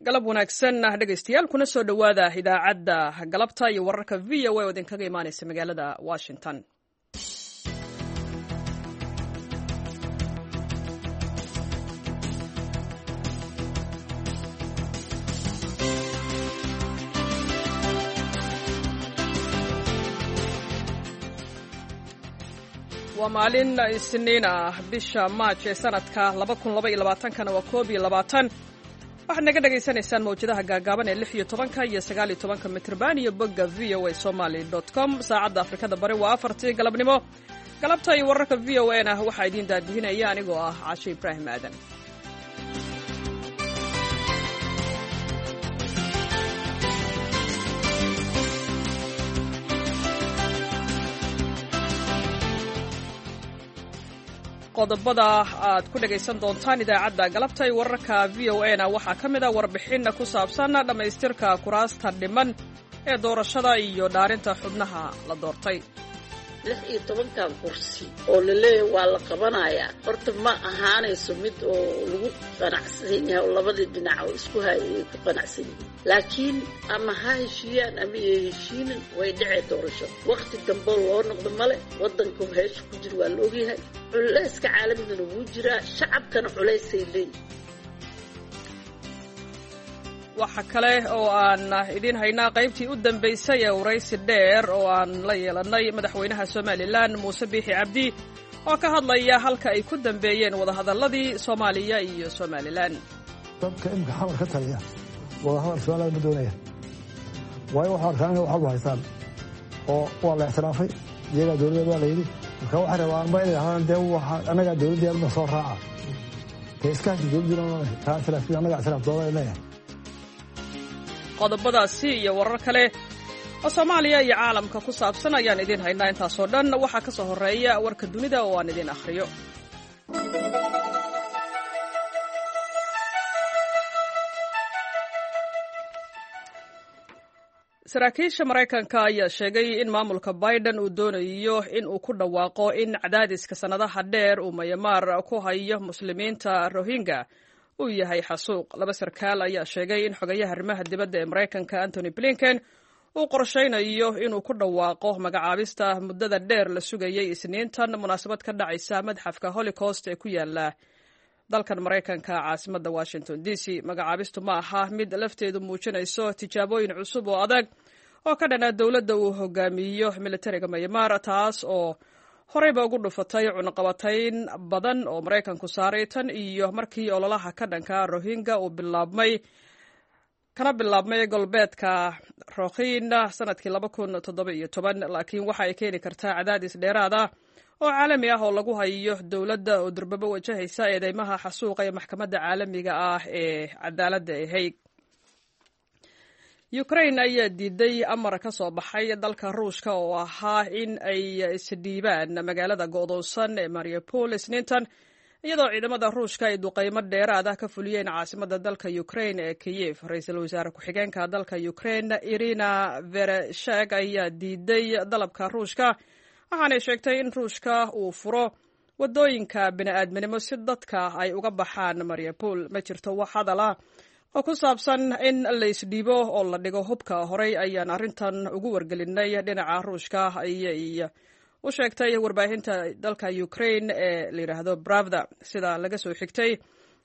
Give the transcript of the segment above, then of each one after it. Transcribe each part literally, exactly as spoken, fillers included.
Galab wanaagsan dhegaystayaal, kuna soo dhowaada idaacadda galabta iyo wararka V O A oo idinkaga imaanaysa magaalada Washington. Waa maalin Isniin ah, bisha Maaj ee sanadka kana waa koob iyo labaatan. Waxaad naga dhagaysanaysaan mawjadaha gaagaaban ee lix iyo tobanka iyo sagaal iyo tobanka mitrban iyo bogga V O A somaly com. Saacadda Afrikada Bari waa afartii galabnimo. Galabta iyo wararka V O a na waxaa idiin daadihinaya anigoo ah Caashe Ibraahim Aadan. Qodobada aad ku dhagaysan doontaan idaacadda galabta iyo wararka V O a na waxaa ka mid a warbixin ku saabsan dhammaystirka kuraasta dhiman ee doorashada iyo dhaarinta xubnaha la doortay. Lix iyo tobankan kursi oo laleeyahay waa la qabanayaa, horta ma ahaanayso mid oo lagu qanacsan yahay oo labadii dhinac oo isku hayay ay ku qanacsan yihiin, laakiin ama ha heshiiyaan ama iyo heshiinin, way dhacee doorasho. Wakhti damboo loo noqdo male, waddanka heesha ku jira waa la ogyahay, culayska caalamigana wuu jiraa, shacabkana culaysay leeyihin. Waxa kale oo aan idiin haynaa qaybtii u dambaysay ee waraysi dheer oo aan la yeelannay madaxweynaha Somalilan Muuse Biixi Cabdi oo ka hadlaya halka ay ku dambeeyeen wadahadalladii Soomaaliya iyo Somalilan. Dadka imika xamar ka taliya wadahadal Somalilan ma doonaya, waayo waxu arkaan inay waxalba haystaan oo waa la ictiraafay, iyagaa dowladda waa la yidhi. Marka waxay rabaanba inay dhahdaan dee waxa annagaa dowladda ma soo raaca, dee iskaashi dowladdiina kaa ictiraafin, annagaa ictiraaf doona leeyahay. Qodobadaasi iyo warar kale oo Soomaaliya iyo caalamka ku saabsan ayaan idiin haynaa. Intaasoo dhan waxaa ka soo horreeya warka dunida oo aan idiin akhriyo. Saraakiisha Maraykanka ayaa sheegay in maamulka Biden uu doonayo in uu ku dhawaaqo in cadaadiska sannadaha dheer uu Mayamaar ku hayo Muslimiinta Rohingya uu yahay xasuuq. Laba sarkaal ayaa sheegay in xogayaha arrimaha dibadda ee Maraykanka Antony Blinken uu qorshaynayo inuu ku dhawaaqo magacaabista muddada dheer la sugayay Isniintan munaasabad ka dhacaysa madxafka Holocaust ee ku yaala dalkan Maraykanka, caasimadda Washington D C. Magacaabistu ma aha mid lafteedu muujinayso tijaabooyin cusub oo adag oo ka dhana dowladda uu hogaamiyo militariga Mayamaar, taas oo horeyba ugu dhufatay cunaqabatayn badan oo Maraykanku saaray tan iyo markii ololaha ka dhanka Rohingya uu bilaabmay, kana bilaabmay galbeedka Rokhina sanadkii laba kun toddoba iyo toban. Laakiin waxa ay keeni kartaa cadaadis dheeraad ah oo caalami ah oo lagu hayo dowladda oo durbabo wajahaysa eedeymaha xasuuqa ee maxkamadda caalamiga ah ee cadaaladda ee Hague. Ukraine ayaa diiday amar ka soo baxay dalka Ruushka oo ahaa in ay isdhiibaan magaalada go'doonsan ee Mariupol Isniintan, iyadoo ciidamada Ruushka ay duqeymo dheeraad ah ka fuliyeen caasimadda dalka Ukraine ee Kiyev. Ra-iisul wasaare ku-xigeenka dalka Ukraine Irina Vereshek ayaa diiday dalabka Ruushka, waxaanay sheegtay in Ruushka uu furo wadooyinka bini'aadminimo si dadka ay uga baxaan Mariupol. Ma jirto wax hadal ah oo ku saabsan in la isdhiibo oo la dhigo hubka. Horey ayaan arrintan ugu wargelinay dhinaca Ruushka, ayay u sheegtay warbaahinta dalka Ukraine ee la yidhaahdo Bravda, sida laga soo xigtay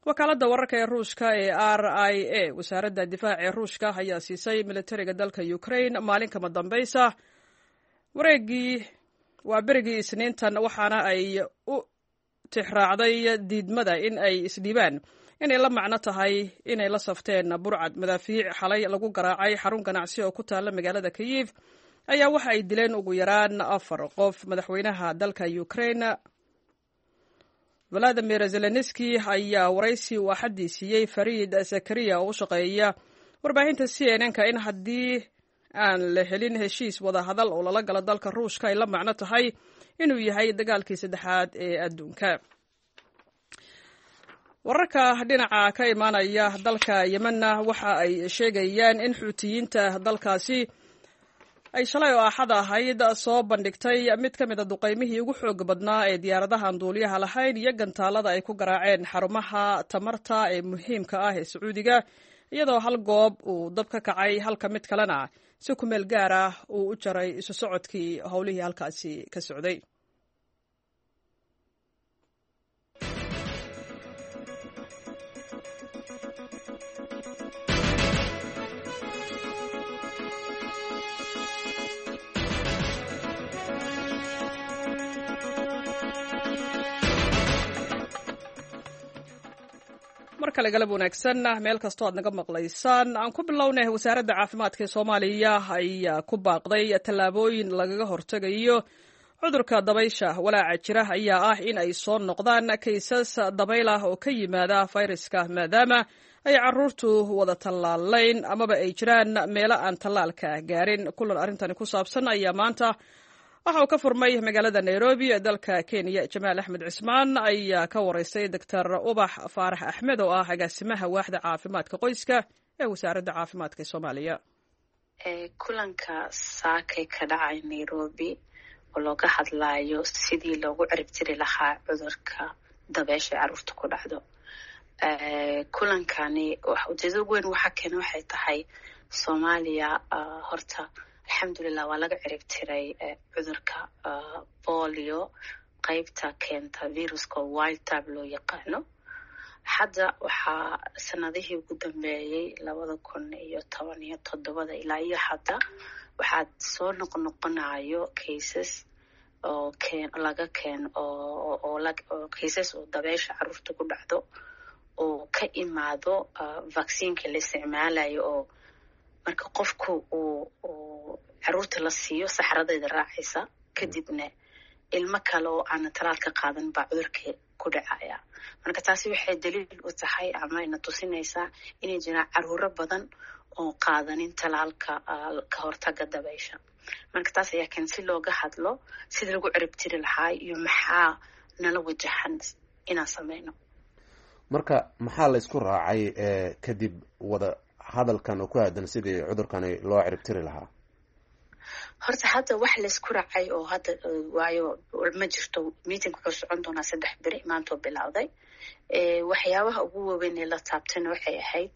wakaaladda wararka ee Ruushka ee R I A. Wasaaradda difaaca ee Ruushka ayaa siisay militariga dalka Ukraine maalin kama dambaysa wareegii waa berigii Isniintan, waxaana ay u tixraacday diidmada in ay isdhiibaan inay la macno tahay inay la safteen burcad. Madaafiic xalay lagu garaacay xarun ganacsi oo ku taalla magaalada Kiyif ayaa waxa ay dileen ugu yaraan afar qof. Madaxweynaha dalka Ukraine Valadimir Zelenski ayaa waraysi uu axaddii siiyey Fariid Zakariya oo u shaqeeya warbaahinta C N N-ka in haddii aan la helin heshiis wadahadal oo lala galo dalka Ruushka ay la macno tahay inuu yahay dagaalkii saddexaad ee adduunka. Wararka dhinaca ka imaanaya dalka Yemenna waxa ay sheegayaan in Xuutiyiinta dalkaasi ay shalay oo Axad ahayd soo bandhigtay mid ka mid a duqaymihii ugu xoog badnaa ee diyaaradahan duuliyaha lahayn iyo gantaalada ay ku garaaceen xarumaha tamarta ee muhiimka ah ee Sacuudiga iyadoo hal goob uu dab ka kacay halka mid kalena si ku meel gaar ah uu u jaray isu socodkii howlihii halkaasi ka socday. Mar kale galab wanaagsan meel kastoo aad naga maqlaysaan. Aan ku bilownay, wasaaradda caafimaadka ee Soomaaliya ayaa ku baaqday tallaabooyin lagaga hortegayo cudurka dabaysha. Walaaca jira ayaa ah in ay soo noqdaan kaysas dabayl ah oo ka yimaada fayraska, maadaama ay caruurtu wada tallaalayn amaba ay jiraan meelo aan tallaalka gaarin. Kulan arrintani ku saabsan ayaa maanta waxa uu ka furmay magaalada Nairobi ee dalka Kenya. Jamaal Axmed Cismaan ayaa ka waraystay Doctor Ubax Faarax Axmed oo ah agaasimaha waaxda caafimaadka qoyska ee wasaaradda caafimaadka ee Soomaaliya. Kulanka saakay ka dhacay Nairobi oo looga hadlayo sidii loogu ciribtiri lahaa cudurka dabeesha ee caruurta ku dhacdo, kulankani ujeedada ugu weyn waxaa keena waxay tahay Soomaaliya horta alxamdulilah waa laga ciribtiray cudurka bolio, qeybta keenta viruska wild type loo yaqaano. Hadda waxaa sanadihii ugu dambeeyey labada kun iyo toban iyo toddobada ilaa iyo hadda waxaa soo noqnoqonayo cases oo keen laga keen oo oo cases oo dabeesha caruurta ku dhacdo oo ka imaado vaccineka la isticmaalayo, oo marka qofku uu uu caruurta la siiyo saxradeeda raacaysa, kadibna ilmo kale oo aana talaal ka qaadan baa cudurka ku dhacaya. Marka taasi waxay daliil u tahay ama ina tusinaysaa inay jiraan caruuro badan oo qaadanin talaalka ka hortaga dabaysha. Marka taas ayaa keen si looga hadlo sidii lagu ciribtiri lahaa iyo maxaa nala wajahan inaan sameyno. Marka maxaa la isku raacay kadib wada hadalkan oo ku aadan sidii cudurkani loo ciribtiri lahaa? Horta hadda wax laysku raacay oo hadda waayo ma jirto. Meeting wuxuu socon doonaa saddex beri, maantoo bilowday. Waxyaabaha ugu waaweyn ee la taabtayna waxay ahayd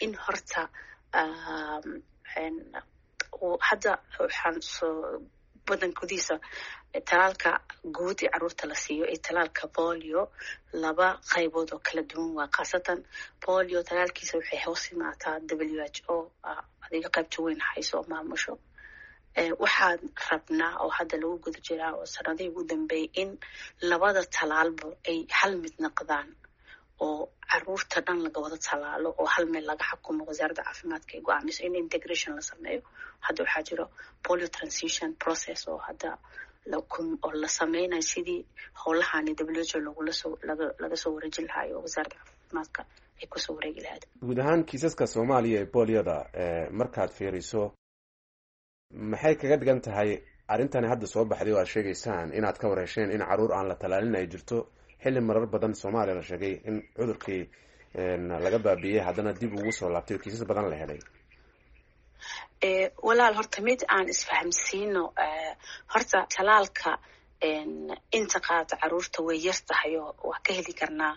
in horta hadda waxaan soo wadan gudihiisa talaalka guud ee caruurta la siiyo iyo talaalka bolio laba qaybood oo kala duwan waa. Khaasatan bolio talaalkiisa waxay hoos imaataa W H O, adiga qaybta weyn hayso oo maamusho. Waxaan rabnaa oo hadda lagu guda jiraa oo sanadihii ugu dambeeyay in labada talaalba ay hal mid noqdaan oo caruurta dhan laga wada talaalo oo hal meel laga xakumo, wasaaradda caafimaadka ay go-aamiso in integration la sameeyo. Hadda waxaa jiro polio transition process oo hadda oo la sameynayo sidii howlahani W H O lagula soo laga laga soo wareejin lahaa oo wasaaradda caafimaadka ay kusoo wareegi lahayd. Guud ahaan kiisaska Soomaaliya ee booliyada markaad fiiriso, maxay kaga dhigan tahay arrintani hadda soo baxday oo aad sheegaysaan inaad ka warhesheen in caruur aan la talaalin ay jirto, xilli marar badan Soomaaliya la sheegay in cudurkii laga baabiiyey haddana dib ugu soo laabtay oo kiisas badan la helay? Walaal, horta mid aan isfahamsiino. Horta talaalka inta qaata caruurta way yar tahay oo waa ka heli karnaa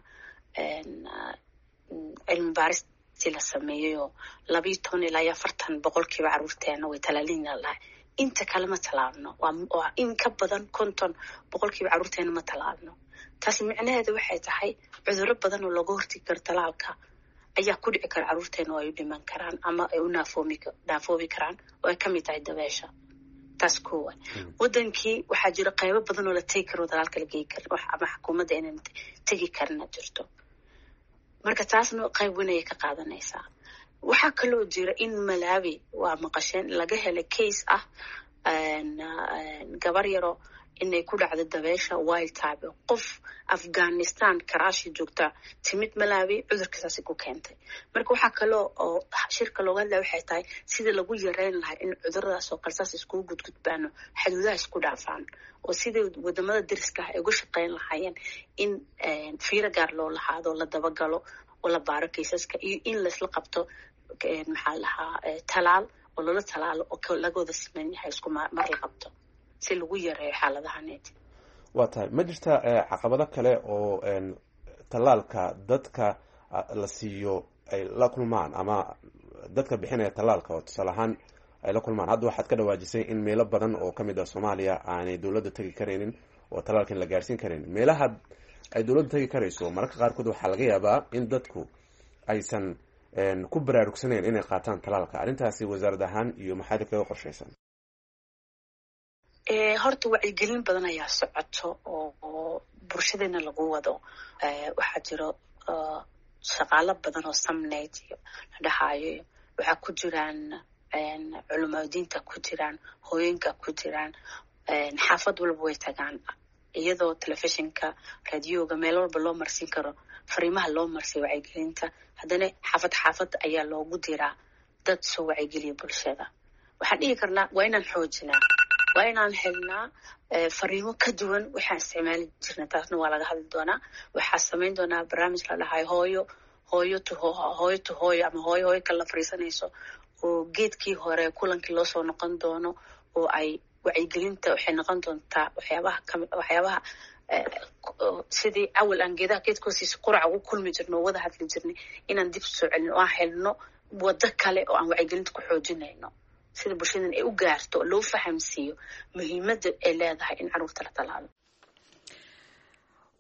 cilmi baaristii la sameeyey oo labayo toban ilaa iyo afartan boqolkiiba caruurteena way talaalina lahay. Inta kale ma talaalno. Waa in ka badan konton boqolkiiba caruurteena ma talaalno. Taasi micnaheedu waxay tahay cudurro badan oo looga hortegi karo talaalka ayaa ku dhici kara caruurteena oo ay u dhiman karaan ama ay u naafoomi naafoobi karaan, oo ay kamid tahay dabeesha. Taas koowa. Wadankii waxaa jira qaybo badan oo la tegi karo, talaalka la geyi karin ama xukuumadda inaan tegi karina jirto. Marka taasna qayb weyn ayay ka qaadanaysaa. Waxaa kaloo jira in Malawi waa maqasheen laga helay case ah gabar yaro inay ku dhacdo dabeesha wild type, qof Afghanistan karaashi joogta timid Malawi cudurka saasi ku keentay. Marka waxaa kaloo oo shirka looga hadlaya waxay tahay sidii lagu yareyn lahaa in cuduradaas oo kale saas iskugu gudgudbaano, xuduudaha isku dhaafaan, oo sidii wadamada deriska ah ay uga shaqeyn lahaayeen in fiiro gaar loo lahaado, la dabagalo oo la baaro kaysaska, iyo in laisla qabto maxaa lahaa talaal oo loola talaalo oo laga wada siman yahay, isku mar la qabto si lagu yareeyo xaaladahaneed. Waa tahay. Ma jirta caqabado kale oo tallaalka dadka la siiyo ay la kulmaan ama dadka bixinaya tallaalka oo tusaale ahaan ay la kulmaan. Hadda waxaad ka dhawaajisay in meelo badan oo kamid ah Soomaaliya aanay dowladda tegi karaynin oo tallaalkan la gaarsiin karaynin. Meelaha ay dowladda tegi karayso mararka qaarkood waxaa laga yaabaa in dadku aysan ku baraarugsanayn inay qaataan tallaalka. Arrintaasi wasaarad ahaan iyo maxaad kaga qorshaysan? Horta wacyigelin badan ayaa socoto oo bulshadeena lagu wado. Waxaa jiro shaqaalo badan oo samneyd iyo la dhahaayo, waxaa ku jiraan culimaadiinta, ku jiraan hooyooyinka, ku jiraan xaafad walba way tagaan, iyadoo telefishinka, radioga, meel walba loo marsiin karo fariimaha loo marsiyo wacyigelinta. Haddana xaafad xaafad ayaa loogu diraa dad soo wacyigeliya bulshada. Waxaan dhihi karnaa waa inaan xoojinaa, waa inaan helnaa fariimo ka duwan waxaan isticmaali jirna. Taasna waa laga hadli doonaa. Waxaa samayn doonaa barnaamij la dhahayo hooyo hooyo to hooyo to hooyo ama hooyo hooyo kala fariisanayso, oo geedkii hore kulankii loo soo noqon doono, oo ay wacyigelinta waxay noqon doontaa waxyaabaha kami waxyaabaha sidii awal aan geedaha geedka hoostiisa quraca ugu kulmi jirno oo wada hadli jirnay inaan dib soo celino, oo aan helno waddo kale oo aan wacyigelinta ku xoojinayno, sida bulshadan ay u gaarto oo loo fahamsiiyo muhiimadda ay leedahay in carruurta la talaalo.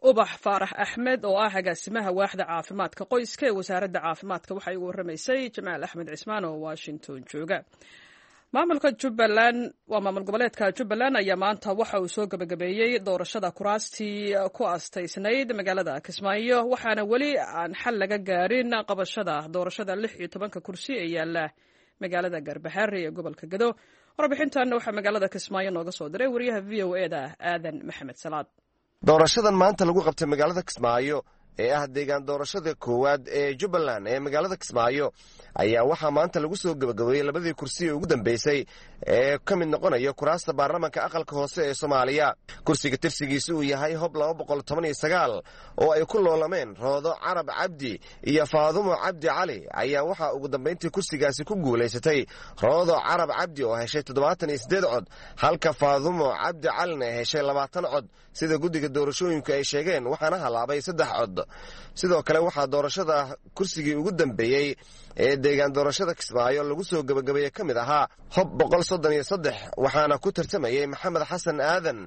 Ubax Faarax Axmed oo ah agaasimaha waaxda caafimaadka qoyska ee wasaaradda caafimaadka waxay ugu warramaysay Jamaal Axmed Cismaan oo Washington jooga. Maamulka Jubbaland, waa maamul goboleedka Jubbaland, ayaa maanta waxa uu soo gebagabeeyey doorashada kuraastii ku astaysnayd magaalada Kismaayo, waxaana weli aan xal laga gaarin qabashada doorashada lix iyo tobanka kursi ee yaala magaalada Garbaxaare ee gobolka Gado. Warbixintan waxaa magaalada Kismaayo nooga soo diray wariyaha V O E da Aadan Maxamed Salaad. Doorashadan maanta lagu qabtay magaalada Kismaayo ee ah deegaan doorashada koowaad ee Jubbaland ee magaalada Kismaayo ayaa waxaa maanta lagu soo gebagabeeyey labadii kursi ee ugu dambeysay ee ka mid noqonaya kuraasta baarlamaanka aqalka hoose ee Soomaaliya. Kursiga tirsigiisa uu yahay Hob laba boqol toban iyo sagaal oo ay ku loolameen Roodo Carab Cabdi iyo Faadumo Cabdi Cali ayaa waxaa ugu dambayntii kursigaasi ku guulaysatay Roodo Carab Cabdi oo heshay toddobaatan iyo siddeed cod, halka Faadumo Cabdi Calina ay heshay labaatan cod, sida guddiga doorashooyinku ay sheegeen, waxaana halaabay saddex cod. Sidoo kale waxaa doorashada kursigii ugu dambeeyey ee deegaan doorashada Kismaayo lagu soo gebagabeeyey ka mid ahaa Hob boqol soddon iyo saddex, waxaana ku tartamayey Maxamed Xasan Aadan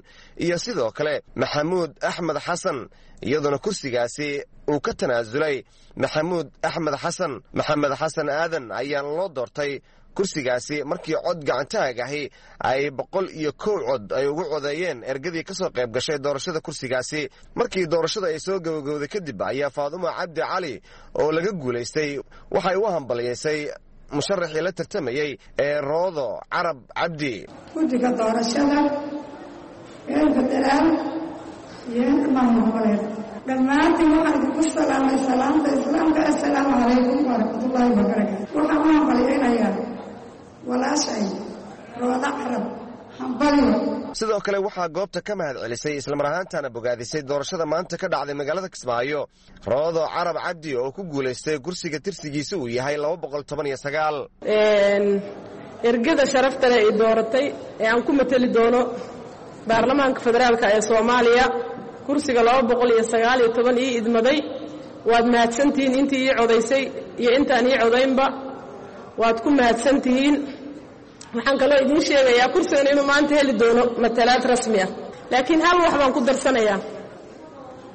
iyo sidoo kale Maxamuud Axmed Xasan, iyadoona kursigaasi uu ka tanaasulay Maxamuud Axmed Xasan. Maxamed Xasan Aadan ayaana loo doortay kursigaasi markii cod gacantaag ahi ay boqol iyo kow cod ay ugu codeeyeen ergadii ka soo qayb gashay doorashada kursigaasi. Markii doorashada ay soo gabagowday kadib ayaa Faadumo Cabdi Cali oo laga guulaystay waxay u hambaliyeysay musharaxii la tartamayey ee Roodo Carab Cabdi. Guddiga doorashada reer federaal iyo inta maamul goboleed, dhammaantiin waxaan idinku salaamay salaamta islaamka, assalaamu calaykum waraxmatullaahi wabarakaatu. Waxaan u hambaliyeynayaa walaashay Roodo Carab, hambalyo. Sidoo kale waxaa goobta ka mahad celisay islamar ahaantana bogaadisay doorashada maanta ka dhacday magaalada Kismaayo Roodo Carab Cabdi oo ku guulaystay kursiga tirsigiisa uu yahay laba boqol toban iyo sagaal. Ergada sharafta leh ay dooratay ee aan ku mateli doono baarlamaanka federaalka ee Soomaaliya kursiga laba boqol iyo sagaal iyo toban ii idmaday, waad mahadsantihiin intii ii codaysay iyo intaan ii codaynba, waad ku mahadsantihiin. Waxaan kaloo idiin sheegayaa kursigan inuu maanta heli doono matalaad rasmi ah, laakiin hal wax baan ku darsanayaa: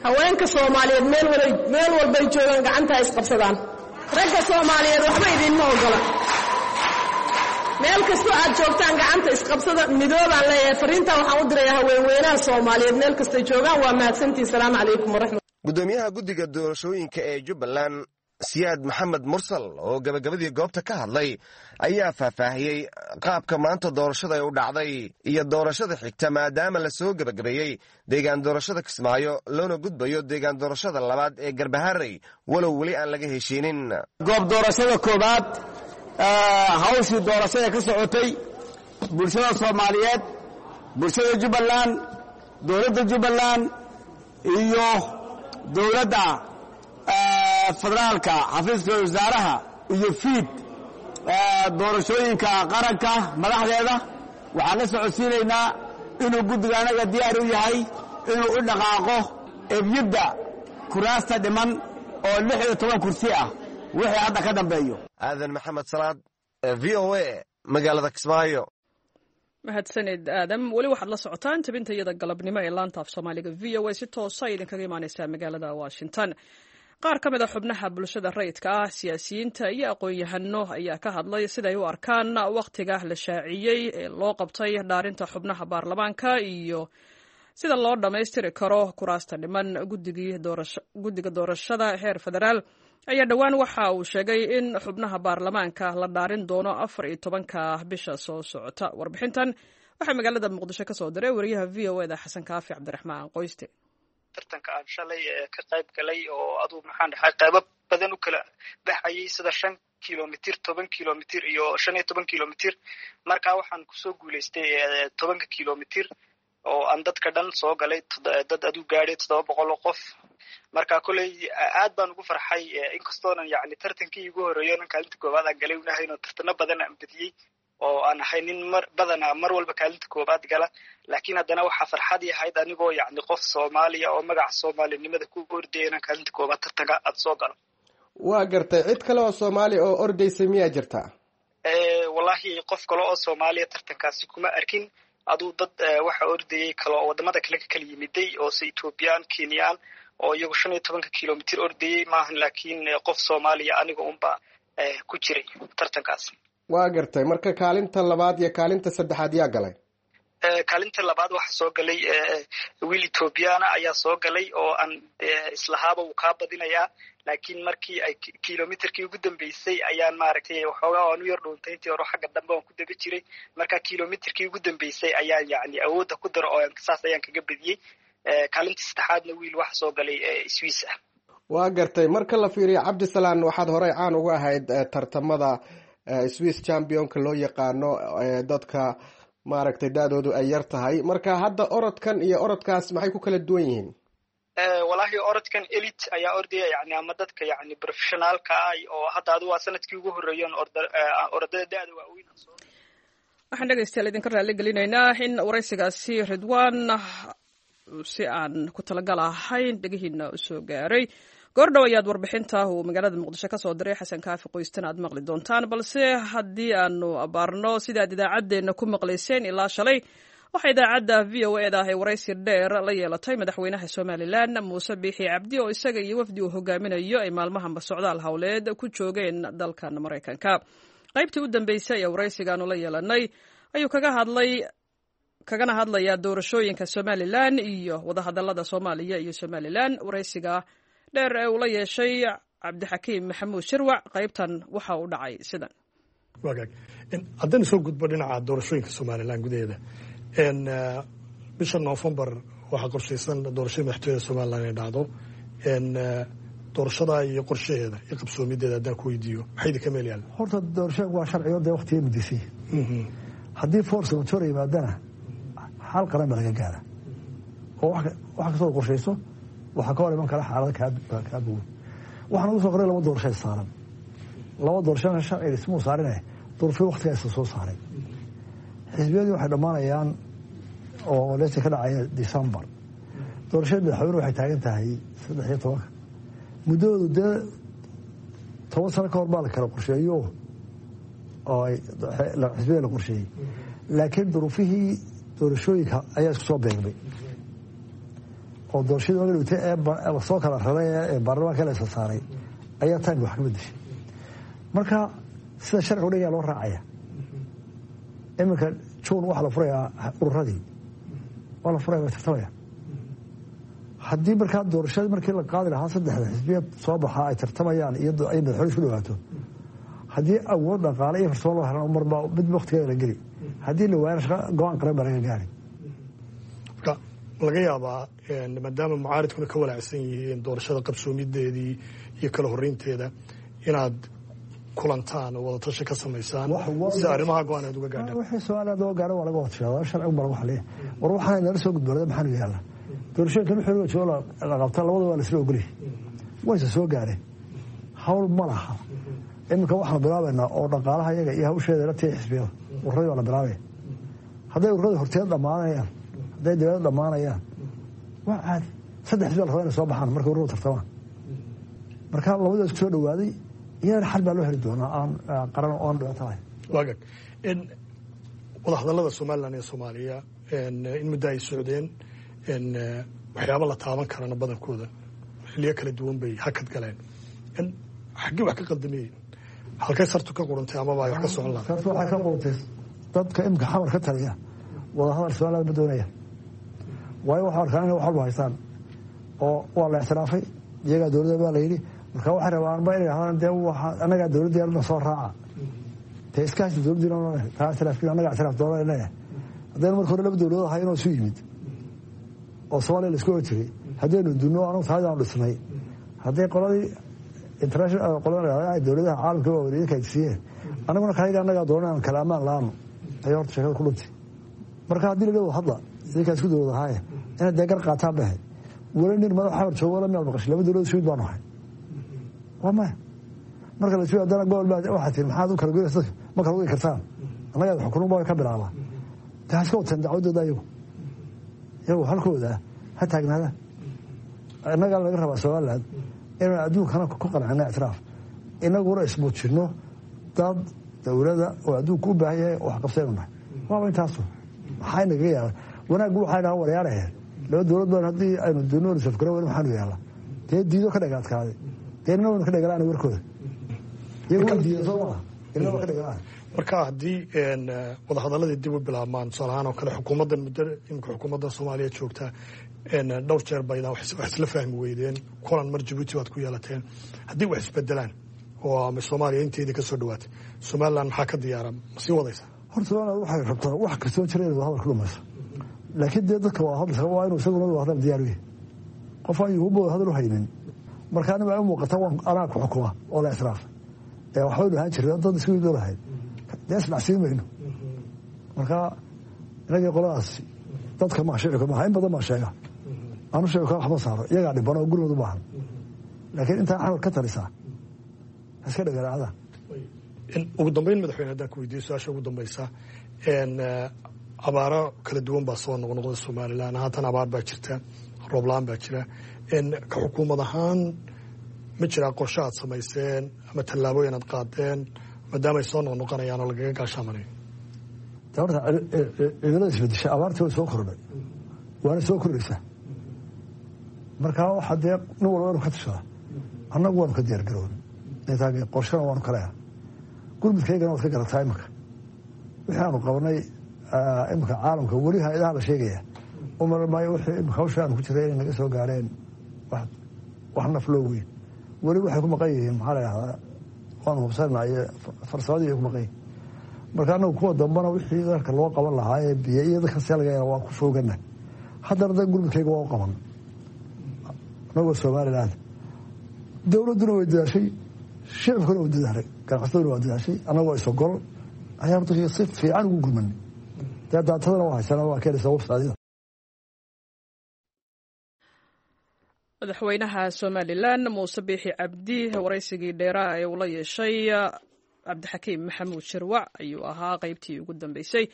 haweenka Soomaaliyeed meel walay meel walbay joogaan gacanta ha isqabsadaan. Ragga Soomaaliyeed waxba idiinma ogola. Meel kastoo aad joogtaan gacanta isqabsada, midoobaan leeyahay. Fariintaa waxaan u dirayaa haweenweynaha Soomaaliyeed meel kastay joogaan. Waa mahadsantihin. Salaamu calaykum waraxmat. Gudoomiyaha guddiga doorashooyinka ee Jubbaland Siyaad Maxamed Mursal oo gabagabadii goobta ka hadlay ayaa faahfaahiyey qaabka maanta doorashada ay u dhacday iyo doorashada xigta, maadaama la soo gebagabeeyey deegaan doorashada Kismaayo loona gudbayo deegaan doorashada labaad ee Garbaharey, walow weli aan laga heshiinin. Goob doorashada koowaad hawshii doorashada ka socotay bulshada Soomaaliyeed, bulshada Jubbaland, dowladda Jubbaland iyo dowladda federaalka, xafiiska wasaaraha iyo fiid doorashooyinka qaranka madaxdeeda, waxaan la socodsiinaynaa inuu guddiga anaga diyaar u yahay inuu u dhaqaaqo ebyidda kuraasta dhiman oo lix iyo toban kursi ah. Wixii hadda ka dambeeyo. Aadan Maxamed Salaad, V O A, magaalada Kismaayo. Mahadsaned Aadam. Weli waxaad la socotaan tabinta iyada galabnimo ee laanta af Soomaaliga V O A, si toosa idinkaga imaaneysaa magaalada Washington. Qaar ka mid a xubnaha bulshada rayidka ah, siyaasiyiinta iyo aqoon-yahano ayaa ka hadlay siday u arkaan wakhtiga la shaaciyey ee loo qabtay dhaarinta xubnaha baarlamaanka iyo sida loo dhammaystiri karo kuraasta dhiman. Guddiga doorashada heer federaal ayaa dhowaan waxa uu sheegay in xubnaha baarlamaanka la dhaarin doono afar iyo tobanka bisha soo socota. Warbixintan waxaa magaalada Muqdisho ka soo diray wariyaha V O eda Xasan Kaafi Cabdiraxmaan Qoyste. Tartanka aan shalay ka qayb galay oo aduu maxaan dhahay qaybo badan u kala baxayay, sida shan kilomitir, toban kilomitir iyo shan iyo toban kilomitir. Marka waxaan kusoo guulaystay tobanka kilomitir oo aan dadka dhan soo galay, dad aduu gaadhay toddoba boqol oo qof. Marka koley aad baan ugu farxay, inkastoonan yacni tartankii igu horreeyo nan kaalinta koowaad aan galay unahayn oo tartano badan aan badiyey oo aan ahay nin mar badanaa mar walba kaalinta koowaad gala, laakiin haddana waxaa farxadii ahayd anigoo yacni qof Soomaaliya oo magaca soomaalinimada ku ordaya inaan kaalinta koowaad tartanka aad soo galo. Waa gartay. Cid kale oo Soomaaliya oo ordaysay miyaa jirta? Wallaahi qof kale oo Soomaaliya tartankaasi kuma arkin. Aduu dad waxa ordayay kale oo wadamada kale ka kala yimiday oo se Ethoobiyan, Kenyaan oo iyagu shan iyo tobanka kilomitir ordayay maahan, laakiin qof Soomaaliya aniga unba ku jiray tartankaas. Waa gartay. Marka kaalinta labaad iyo kaalinta saddexaad yaa galay? Kaalinta labaad waxaa soo galay wiil Ethoobiyaana ayaa soo galay oo aan islahaaba uu kaa badinayaa, laakiin markii ay kilomitirkii ugu dambeysay ayaan maaragtay waxoogaa aan u yar dhuuntay intii hore xagga dambe aan ku daba jiray. Marka kilomitirkii ugu dambeysay ayaan yacni awoodda ku daro oo saas ayaan kaga badiyey. Kaalinta saddexaadna wiil waxa soo galay Swiss ah. Waa gartay. Marka la fiiriyo, Cabdisalaan, waxaad horey caan uga ahayd tartamada Swiss championka loo yaqaano, dadka maaragtay da-doodu ay yar tahay. Marka hadda orodkan iyo orodkaas maxay ku kala duwan yihiin? Wallaahi orodkan elite ayaa ordaya, yani ama dadka yani professionaalka ah oo hadda adu waa sanadkii ugu horreeyen orodada da-da waaweyn. Waxaan dhegeystayaal idinka raali gelinaynaa in waraysigaasi Ridwaan si aan ku talagal ahayn dhegihiina usoo gaaray. Goordhow ayaad warbixinta uu magaalada Muqdisho ka soo diray Xasan Kaafi Qoystan aad maqli doontaan, balse haddii aanu abaarno sidaad idaacaddeenna ku maqlayseen ilaa shalay, waxaa idaacadda V O e da ay waraysi dheer la yeelatay madaxweynaha Somalilan Muuse Biixi Cabdi oo isaga iyo wafdi uu hogaaminayo ay maalmahanba socdaal howleed ku joogeen dalkan Maraykanka. Qaybtii u dambeysay ee waraysigaanu la yeelanay ayuu kaga hadlay kagana hadlayaa doorashooyinka Somalilan iyo wadahadalada Soomaaliya iyo Somalilan. Waraysiga dheer ee uu la yeeshay Cabdixakiim Maxamuud Shirwac qaybtan waxa uu dhacay sidan. Wagaag, haddaynu soo gudbo dhinaca doorashooyinka Somalilan gudaheeda, bisha Noofembar waxaa qorshaysan doorashada madaxtooyada Somalilan inay dhacdo. Doorashada iyo qorshaheeda iyo qabsoomideeda haddaan ku weydiiyo, maxay idinka meel yaalla? Horta doorashada waa sharciyo dee waqtiga mudisay. Haddii force majeure yimaadana xal qaran baa laga gaara oo wax kastoo qorshayso waxaa ka hor iman kara xaalada kaa bogan. Waxaan ugu soo qoray laba doorasho saaran, laba doorashona sharciga ismuu saarine duruufii waqtigaa isa soo saaray. Xisbiyadii waxay dhammaanayaan oo leesa ka dhacaya December. Doorashada madaxweyne waxay taagan tahay saddex iyo tobanka. Muddadoodu dee toban sano ka hor baa la kala qorsheeyo oo xisbiyada la qorsheeyey, laakiin duruufihii doorashooyinka ayaa isku soo beegmay oo doorashadii magadhowtay ee lasoo kala raray ee baarlamaanka la isa saaray ayaa taanka wax ka bedeshay. Marka sida sharcigu dhigaa loo raacaya. Iminka Juun waxaa la furayaa ururadii, waa la furaya, way tartamaya. Haddii markaa doorashadii markii la qaadi lahaa saddexda xisbiya soo baxaa ay tartamayaan iyo ay madaxweyne isku dhawaato, haddii awood dhaqaale iyo farsamo loo helan marbaa mid waqtigeeda la geli, haddii la waayana shaqa go-aan qaran baa laga gaari. Marka laga yaabaa maadaama mucaaridkuna ka walaacsan yihiin doorashada qabsoomideedii iyo kala horreynteeda inaad kulantaan oo wadatashi ka samaysaan si arrimaha go-aan aad uga gaadhaan. Wixii Soomaaliya loo gaaro waa laga watashadaa, sharcigu baa lagu xaliya. War waxaan nala soo gudboonada maxaanu yaallaa doorashooyinkan wixii loo joogo la qabta labada waa la isla ogolyahay, wayse soo gaareen, hawl ma laha. Iminka waxaanu bilaabaynaa oo dhaqaalaha iyaga iyo hawsheeda la tiya xisbiyada ururadii baa la bilaabaya. Hadday ururada horteed dhammaanayaan, hadday dibadda dhammaanayaan, waa caadi. Saddex xisbi la rabaa inay soo baxaan markay ururadu tartamaan. Marka labada isku soo dhawaaday Iyadana xal baa loo heli doonaa aan qaran oo aan dhibaato lahayn. Waagag wadahadallada Somalilan iyo Soomaaliya in muddo ay socdeen, waxyaaba la taaban karana badankooda xilliyo kala duwan bay hakad galeen. Xaggee wax ka qaldameeyeen? Halkay sartu ka quruntay amaba ay wax ka socon lahaa? Sartu waxay ka quruntay dadka imika xamar ka taliya wadahadal Somaliland ma doonaya, waayo waxay arkaan inay wax walba haystaan oo waa la ictiraafay, iyagaa dowladda baa la yidhi. Marka waxay rabaanba inay dhahdaan dee waxa annagaa dowladda soo raaca, dee iska haysta dowladdiina taa ictiraafkiina annagaa ictiraaf doona leeyahay. Haddaynu marka hore laba dowladood ahay inoo isu yimid oo Soomaaliya la isku oran jiray, haddaynu dunno anagu taadaanu dhisnay, hadday qoladii international qolada dowladaha caalamka waa wareedinka ay siiyeen, annaguna kayaga annagaa doonaan kala ammaan la-aano ayaa horta sheekada ku dhuntay. Marka haddii la leeyahay hadla idinkaa isku dowlad ahaaye inaad dee gar qaataan bay ahayd. Weli nin madax xamar joogo la miyaad maqashay laba dowlad isku mid baanu ahay? Waa maya. Marka la isu haddana gobol baa waxaa tihi maxaad u kala goynaysa dadka, ma kala goy kartaan, annagaa xukunun baa ka bilaabaa. Dee ha iska wateen dacwadooda iyagu, iyagu halkooda ha taagnaada. Innagaa laga rabaa Somaliland inaan adduunkana ku qancino ictiraaf, inaguna ismuujinno dad dowlada oo adduunka u baahan yahay oo wax qabsaynu nahay. Waaba intaasu maxaa inagaga yaala wanaaggu? Waxay dhahaan waryaaraheen laba dowlad baan haddii aynu dunoon safgaro weli maxaanu yaala dee diido ka dhagaadkaaday, dee inna waynu ka dhagalaan warkooda, iyagu way diidan soo maaha, inna waa ka dhagalaan. Marka haddii wadahadaladii dib u bilaabmaan, tusaale ahaan oo kale xukuumaddan muddo imika xukuumaddan Soomaaliya joogta dhowr jeer baydaan wax isla fahmi weydeen, kulan mar Jabuuti baad ku yeelateen, haddii wax isbedelaan oo ama Soomaaliya inteedii ka soo dhawaatay, Somaliland maxaa ka diyaara? Ma sii wadaysa? Horta Somaliland waxay rabtaa wax kastoo jira inay wadahadal ku dhamayso, laakiin dee dadka waa hadal waa inuu isaguna wadahadal diyaar u yahay. Qof aan yuhuba wadahadal u haynin marka aniga ay u muuqata waan anaa ku xukuma oo la ictiraafay ee waxbaynu ahaan jirnay dad isku mid lahayd, dee isnacsiin mayno. Marka inagii qoladaas dadka maa shicibka maaha, in badan baa sheega anu shicibka waxma saaro, iyagaa dhiban oo gurmad u baahan, laakiin intaa xamar ka talisaa iska dhagaraacda. Ugu dambeyn madaxweyne, haddaan ku weydiiyo su-aasha ugu dambeysa, abaaro kala duwan baa soo noqnoqda Somaliland, haatan abaar baa jirta, roob la-aan baa jira. Ka xukuumad ahaan ma jiraa qorshe aad samayseen ama tallaabooyin aad qaadeen maadaama ay soo noqnoqonayaan oo lagaga gaashaamanayo? Horta cimilada isbedesha, abaartii way soo kordhay waana soo kordhaysaa. Marka waxaa dee nin walba inu ka tashadaa, annagu waanu ka diyaar garoon qorshana waanu kaleha, gurmudkaygana waad ka garataa. Imika wixii aanu qabanay imika caalamka weli hay-adaha la sheegaya umar maayo wixii imika hawsha aanu ku jiray inay naga soo gaareen wax naf loo weyn. Weli waxay ku maqan yihiin maxaa la dhahdaa waanu hubsanaa iyo farsamadii ay ku maqan yihiin. Marka annagu kuwa dambana wixii dalka loo qaban lahaa ee biyo iyo dadka see laga yaala waa ku foogana. Haddana da gurmudkayga waa u qaban anagoo Somaliland, dowladduna way dadaashay, shicibkuna waa dadaalay, ganacsataduna waa dadaashay, annagoo isogol ayaa horta si fiican ugu gurmanay. Dee daatadana waa haysana waa keenaysa website. Madaxweynaha Somalilan Muuse Biixi Cabdi waraysigii dheeraha ee uu la yeeshay Cabdixakiim Maxamuud Shirwac ayuu ahaa qaybtii ugu dambeysay.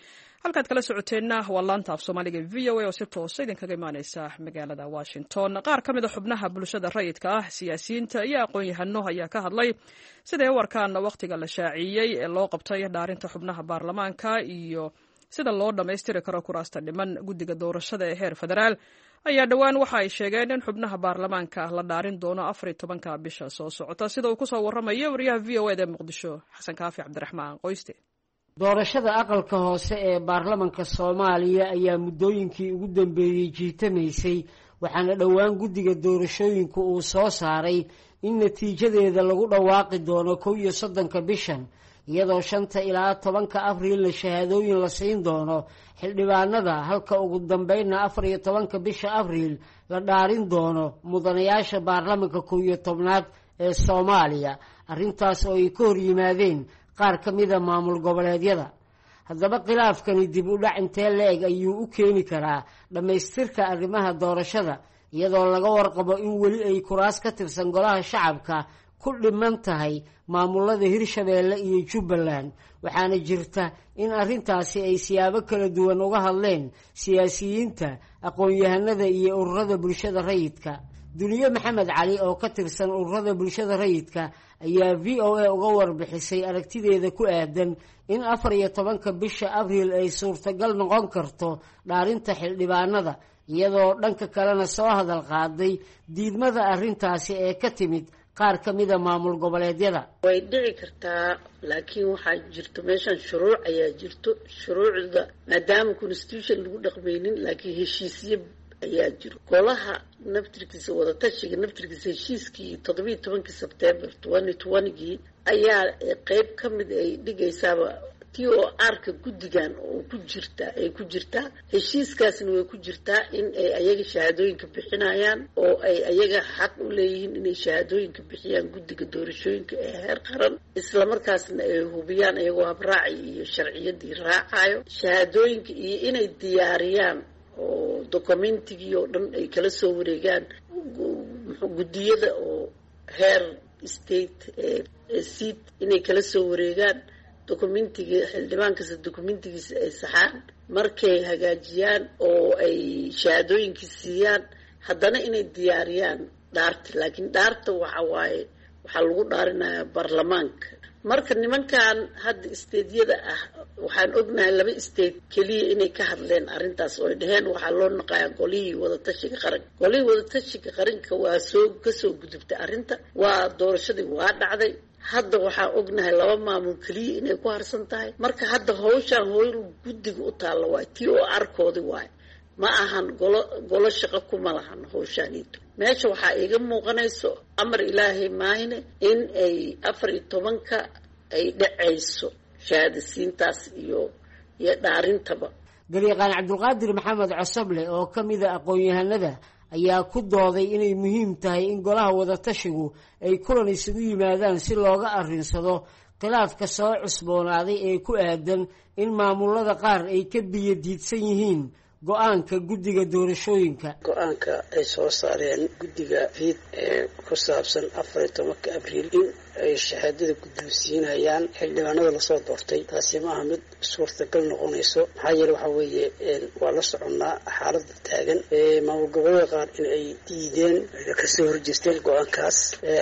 Halkaad kala socoteenna waa laanta af Soomaaliga V O A oo si toosa idinkaga imaaneysa magaalada Washington. Qaar ka mid a xubnaha bulshada rayidka ah, siyaasiyiinta iyo aqoon-yahano ayaa ka hadlay siday u arkaan wakhtiga la shaaciyey ee loo qabtay dhaarinta xubnaha baarlamaanka iyo sida loo dhammaystiri karo kuraasta dhiman. Guddiga doorashada ee heer federaal ayaa dhowaan waxa ay sheegeen in xubnaha baarlamaanka la dhaarin doono afar iyo tobanka bisha soo socota, sida uu kusoo waramayo wariyaha V O eda ee Muqdisho, Xasan Kaafi Cabdiraxmaan Qoyste. Doorashada aqalka hoose ee baarlamanka Soomaaliya ayaa muddooyinkii ugu dambeeyey jiitamaysay, waxaana dhowaan guddiga doorashooyinku uu soo saaray in natiijadeeda lagu dhawaaqi doono kow iyo soddonka bishan, iyadoo shanta ilaa tobanka abriilna shahaadooyin la siin doono xildhibaanada, halka ugu dambeynna afar iyo tobanka bisha abriil la dhaarin doono mudanayaasha baarlamanka kow iyo tobnaad ee Soomaaliya. Arrintaas oo ay ka hor yimaadeen qaar ka mida maamul goboleedyada. Haddaba khilaafkani dib u dhac intee la-eg ayuu u keeni karaa dhammaystirka arrimaha doorashada, iyadoo laga warqabo in weli ay kuraas ka tirsan golaha shacabka ku dhiman tahay maamulada Hirshabeelle iyo Jubbaland? Waxaana jirta in arrintaasi ay siyaabo kala duwan uga hadleen siyaasiyiinta, aqoon-yahanada iyo ururada bulshada rayidka. Duniye Maxamed Cali oo ka tirsan ururada bulshada rayidka ayaa V O A uga warbixisay aragtideeda ku aadan in afar iyo tobanka bisha Abriil ay suurtagal noqon karto dhaarinta xildhibaanada, iyadoo dhanka kalena soo hadal qaaday diidmada arrintaasi ee ka timid qaar ka mida maamul goboleedyada. Way dhici kartaa, laakiin waxaa jirto meeshan shuruuc ayaa jirto. Shuruucda maadaama constitution lagu dhaqmaynin, laakiin heshiisyo ayaa jiro. Golaha naftirkiisa, wadatashiga naftirkiisa, heshiiskii toddobiiyo tobankii Sebtembar twenty twentygii ayaa qeyb ka mid ay dhigaysaaba t o r-ka guddigan oo ku jirta ay ku jirtaa heshiiskaasna way ku jirtaa in ay ayaga shahaadooyinka bixinayaan oo ay ayaga xaq u leeyihiin inay shahaadooyinka bixiyaan guddiga doorashooyinka ee heer qaran, islamarkaasna ay hubiyaan iyagoo habraaci iyo sharciyadii raacayo shahaadooyinka, iyo inay diyaariyaan oo documentigii oo dhan ay kala soo wareegaan guddiyada oo heer state ee seat inay kala soo wareegaan documentiga xildhibaan kasta documentigiisa ay saxaan. Markay hagaajiyaan oo ay shahaadooyinkii siiyaan, haddana inay diyaariyaan dhaarta. Laakiin dhaarta waxa waaye waxaa lagu dhaarinayaa baarlamaanka. Marka nimankan hadda stateyada ah, waxaan ognahay laba state keliya inay ka hadleen arrintaas oo ay dheheen waxaa loo naqayaa golihii wadatashiga qaranka. Golihii wadatashiga qaranka waa soo kasoo gudubtay arrinta, waa doorashadii waa dhacday. Hadda waxaa ognahay laba maamul keliya inay ku harsan tahay. Marka hadda hawshaan howl guddiga u taalla waay, t o r-koodi waay, ma ahan golo golo shaqo kuma lahan hawshaaniito. Meesha waxaa iiga muuqanayso amar ilaahay maahine in ay afar iyo tobanka ay dhacayso shahaadasiintaas iyo iyo dhaarintaba. Garyaqaan Cabdulqaadir Maxamed Cosoble oo ka mida aqoon-yahanada ayaa ku dooday inay muhiim tahay in golaha wadatashigu ay kulan isugu yimaadaan si looga arrinsado khilaafka soo cusboonaaday ee ku aadan in maamulada qaar ay ka biyo diidsan yihiin go-aanka guddiga doorashooyinka. Go-aanka ay soo saareen guddiga fiid ee ku saabsan afar iyo tobanka Abriil in ay shahaadada guddoonsiinayaan xildhibaanada lasoo doortay, taasi ma aha mid suurtagal noqonayso. Maxaa yeele waxaa weeye waa la soconnaa xaaladda taagan, maamul goboleeda qaar in ay diideen, kasoo horjeesteen go-aankaas.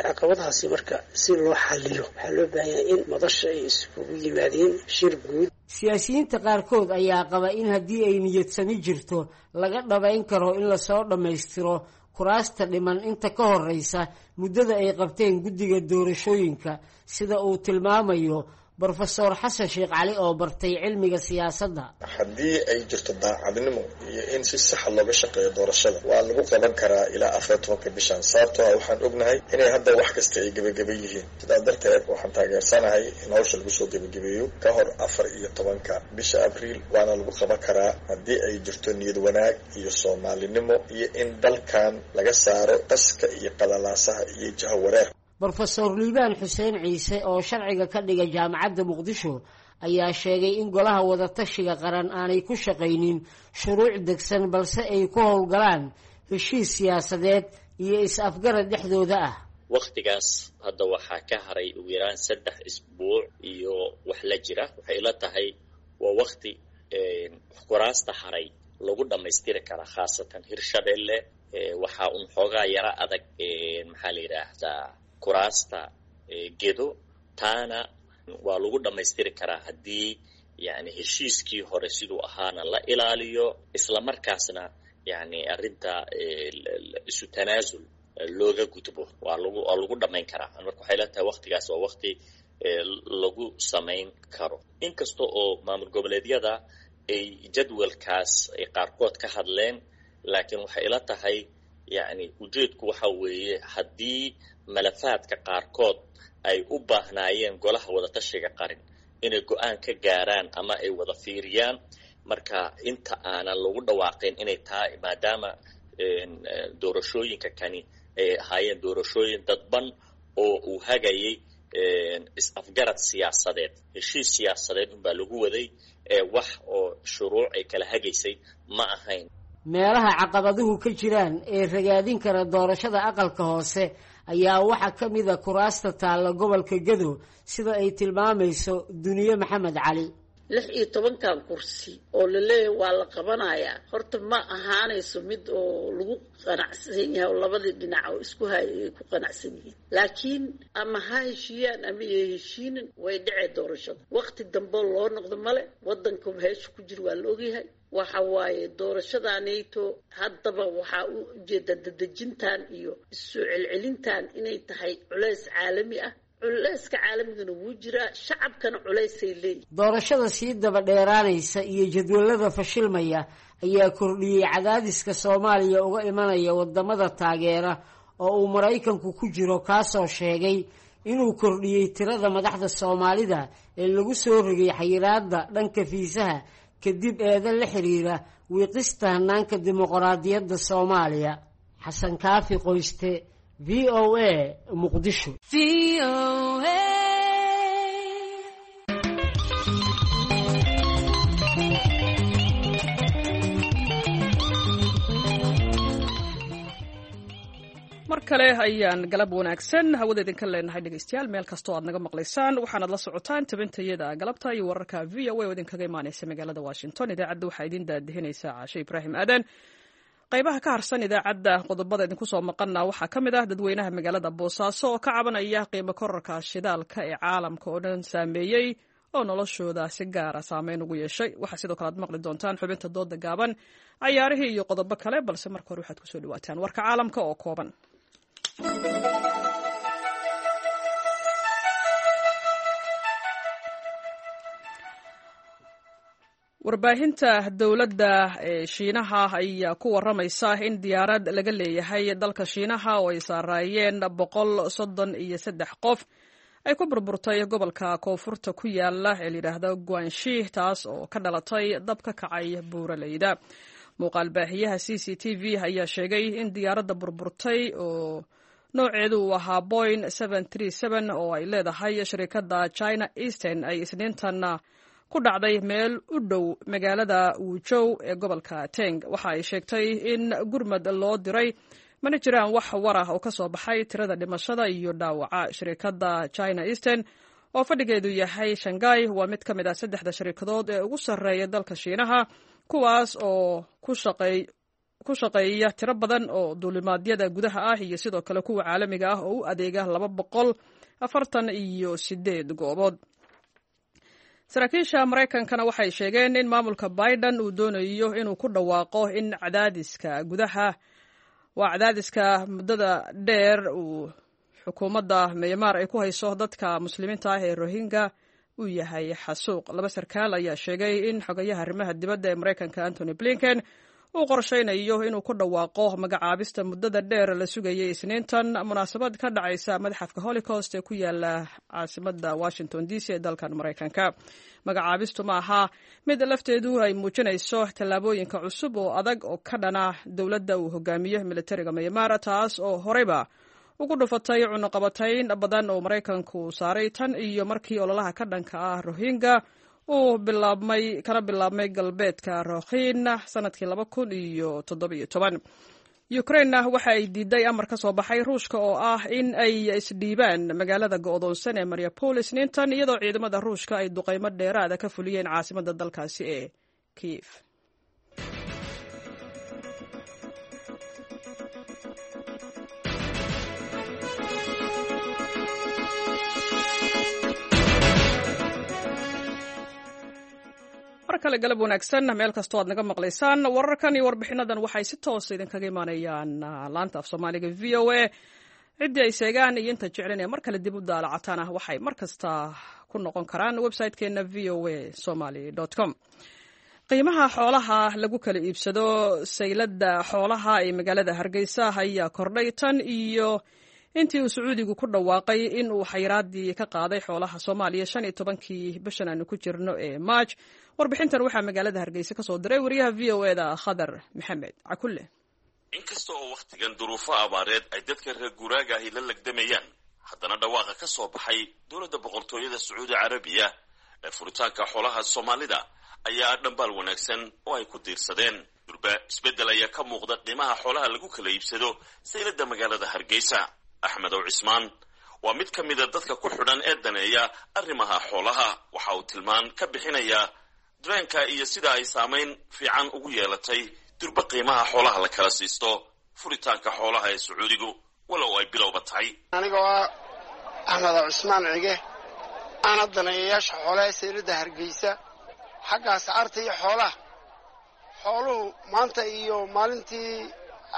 Caqabadahaasi marka si loo xaliyo waxaa loo baahan yahay in madasha ay iskugu yimaadeen shir guud. Siyaasiyiinta qaarkood ayaa qaba in haddii ay niyadsami jirto laga dhabayn karo in lasoo dhammaystiro kuraasta dhiman inta ka horeysa muddada ay qabteen guddiga doorashooyinka, sida uu tilmaamayo Brofesor Xasan Sheekh Cali oo bartay cilmiga siyaasadda. Haddii ay jirto daacadnimo iyo in si saxa looga shaqeeyo doorashada, waa lagu qaban karaa ilaa afar tobanka bishan, sababtoo ah waxaan ognahay inay hadda wax kasta ay gebageba yihiin. Sidaas darteed waxaan taageersanahay in hawsha lagu soo gebagabeeyo ka hor afar iyo tobanka bisha Abriil, waana lagu qaban karaa haddii ay jirto niyad wanaag iyo soomaalinimo iyo in dalkan laga saaro qaska iyo qalalaasaha iyo jahawareer. Brofesor Liibaan Xuseen Ciise oo sharciga ka dhiga jaamacadda Muqdisho ayaa sheegay in golaha wadatashiga qaran aanay ku shaqaynin shuruuc degsan, balse ay ku howlgalaan heshiis siyaasadeed iyo is-afgarad dhexdooda ah. Wakhtigaas hadda waxaa ka haray ugu yaraan saddex isbuuc iyo wax la jira. Waxay ila tahay waa wakhti kuraasta haray lagu dhammaystiri karaa, khaasatan Hirshabelle. Waxaa un xoogaa yaro adag, maxaa la yidhaahdaa, kuraasta Gedo, taana waa lagu dhammaystiri karaa haddii yani heshiiskii hore siduu ahaana la ilaaliyo, isla markaasna yani arrinta isu tanaasul looga gudbo, waa lagu waa lagu dhammayn karaa. Marka waxay la tahay waktigaas waa wakti lagu samayn karo, inkasta oo maamul goboleedyada ay jadwalkaas ay qaarkood ka hadleen. Laakiin waxay ila tahay yani ujeedku waxa weeye haddii malafaadka qaarkood ay u baahnaayeen golaha wadatashiga qarin inay go-aan ka gaaraan ama ay wada fiiriyaan, marka inta aanan lagu dhawaaqin inay taa, maadaama doorashooyinka kani ay ahaayeen doorashooyin dadban oo uu hagayay is-afgarad siyaasadeed, heshiis siyaasadeed unbaa lagu waday, wax oo shuruuc ay kala hagaysay ma ahayn. Meelaha caqabaduhu ka jiraan ee ragaadin kara doorashada aqalka hoose ayaa waxaa ka mid a kuraasta taalla gobolka Gedo, sida ay tilmaamayso Duniye Maxamed Cali. Lix iyo tobankan kursi oo laleeyahay waa la qabanayaa, horta ma ahaanayso mid oo lagu qanacsan yahay oo labadii dhinac oo isku hay ay ku qanacsan yihiin. Laakiin ama ha heshiiyaan ama ya heshiinin, way dhacee doorashada. Waqti dambe loo noqdo male, wadanka heesha ku jira waa la ogyahay. Waxa waaye doorashadanayto haddaba waxaa u ujeedaa dadejintan iyo issoo celcelintan inay tahay culays caalami ah. Culayska caalamigana wuu jiraa, shacabkana culaysay leeyihin. Doorashada sii daba dheeraanaysa iyo jadwalada fashilmaya ayaa kordhiyey cadaadiska Soomaaliya uga imanaya wadamada taageera oo uu Maraykanku ku jiro, kaasoo sheegay inuu kordhiyey tirada madaxda Soomaalida ee lagu soo rogay xayiraadda dhanka fiisaha kadib eeda la xiriira wiiqista hanaanka dimuqraadiyadda Soomaaliya. Xasan Kaafi Qoyste, V O A, Muqdisho. Mar kale ayaan galab wanaagsan hawada idinka leenahay dhegeystayaal, meel kastoo aad naga maqlaysaan. Waxaanaad la socotaan tabintayada galabta iyo wararka V O A oo idinkaga imaaneysa magaalada Washington. Idaacadda waxaa idin daadihinaysaa Caashe Ibraahim Aadan. Qaybaha ka harsan idaacadda qodobada idinku soo maqana waxaa ka mid ah dadweynaha magaalada Boosaaso oo ka cabanaya qiimo korarka shidaalka ee caalamka oo dhan saameeyey oo noloshooda si gaara saameyn ugu yeeshay. Waxaa sidoo kale aad maqli doontaan xubinta dooda gaaban, cayaarihii iyo qodobo kale, balse marka hore waxaad kusoo dhawaataan warka caalamka oo kooban. Warbaahinta dowladda ee Shiinaha ayaa ku waramaysa in diyaarad laga leeyahay dalka Shiinaha oo ay saaraayeen boqol soddon iyo saddex qof ay ku burburtay gobolka koonfurta ku yaala ee layidhaahdo Guanshi, taas oo ka dhalatay dab ka kacay buuraleyda. Muuqaal baahiyaha C C T V ayaa sheegay in diyaaradda burburtay oo nooceedu uu ahaa Boeing oo ay leedahay shirikadda China Eastern ay Isniintan ku dhacday meel u dhow magaalada Wujow ee gobolka Teng. Waxa ay sheegtay in gurmad loo diray, mana jiraan wax war ah oo ka soo baxay tirada dhimashada iyo dhaawaca. Shirikadda China Eastern oo fadhigeedu yahay Shanghai waa mid ka mid ah saddexda shirikadood ee ugu sarreeya dalka Shiinaha, kuwaas oo ku shaqeey ku shaqeeya tiro badan oo duulimaadyada gudaha ah iyo sidoo kale kuwa caalamiga ah oo u adeega laba boqol afartan iyo sideed goobood. Saraakiisha Maraykankana waxay sheegeen in maamulka Biden uu doonayo inuu ku dhawaaqo in cadaadiska gudaha waa cadaadiska muddada dheer uu xukuumadda Myanmar ay ku hayso dadka muslimiinta ah ee Rohingya uu yahay xasuuq. Laba sarkaal ayaa sheegay in xogayaha arrimaha dibadda ee Maraykanka Antony Blinken uu qorsheynayo inuu ku dhawaaqo magacaabista muddada dheer la sugayay Isniintan munaasabad ka dhacaysa madxafka Holocaust ee ku yaala caasimadda Washington D C ee dalkan Maraykanka. Magacaabistu ma aha mid lafteedu ay muujinayso tallaabooyinka cusub oo adag oo ka dhana dowladda uu hogaamiyo militariga Myanmar, taas oo horeyba ugu dhufatay cunuqabatayn badan oo Maraykanku saaray tan iyo markii ololaha ka dhanka ah Rohingya uu bilaabmay kana bilaabmay galbeedka Rakhine sanadkii laba kun iyo toddobiyo toban. Ukraine waxa ay diiday amar ka soo baxay Ruushka oo ah in ay isdhiibaan magaalada go'doonsan ee Mariupol Isniintan, iyadoo ciidamada Ruushka ay duqeymo dheeraada ka fuliyeen caasimadda dalkaasi ee Kiev. Mar kale galab wanaagsan meel kastoo aad naga maqlaysaan. Wararkan iyo warbixinadan waxay si toosa idinkaga imaanayaan laanta af Soomaaliga V O A. Ciddii ay seegaan iyo inta jeclan ee mar kale dib u daalacataan ah waxay mar kasta ku noqon karaan website-keena v o a somali com. Qiimaha xoolaha lagu kala iibsado sayladda xoolaha ee magaalada Hargeysa ayaa kordhay tan iyo intii uu Sacuudigu ku dhawaaqay in uu xayiraadii ka qaaday xoolaha Soomaaliya shan iyo tobankii bishan aanu ku jirno ee Maaj. Warbixintan waxaa magaalada Hargeysa ka soo diray wariyaha V O A da Khadar Maxamed Cakulle. Inkasta oo wakhtigan duruufo abaareed ay dadka reer guuraaga ahi la legdamayaan, haddana dhawaaqa ka soo baxay dowladda boqortooyada Sacuudi Carabiya ee furitaanka xoolaha Soomaalida ayaa dhambaal wanaagsan oo ay ku diirsadeen. Durba isbeddel ayaa ka muuqda qiimaha xoolaha lagu kala iibsado sayladda magaalada Hargeysa. Axmed Ow Cismaan Waa mid ka mida dadka ku xidhan ee daneeya arrimaha xoolaha. Waxa uu tilmaan ka bixinayaa dareenka iyo sida ay saamayn fiican ugu yeelatay durba qiimaha xoolaha la kala siisto furitaanka xoolaha ee Sacuudigu, walow ay bilowba tahay. Anigoo ah Axmed Cusmaan Cige, ana daneeyayaasha xoolaha seylada Hargeysa, xagga ascaarta iyo xoolaha. Xooluhu maanta iyo maalintii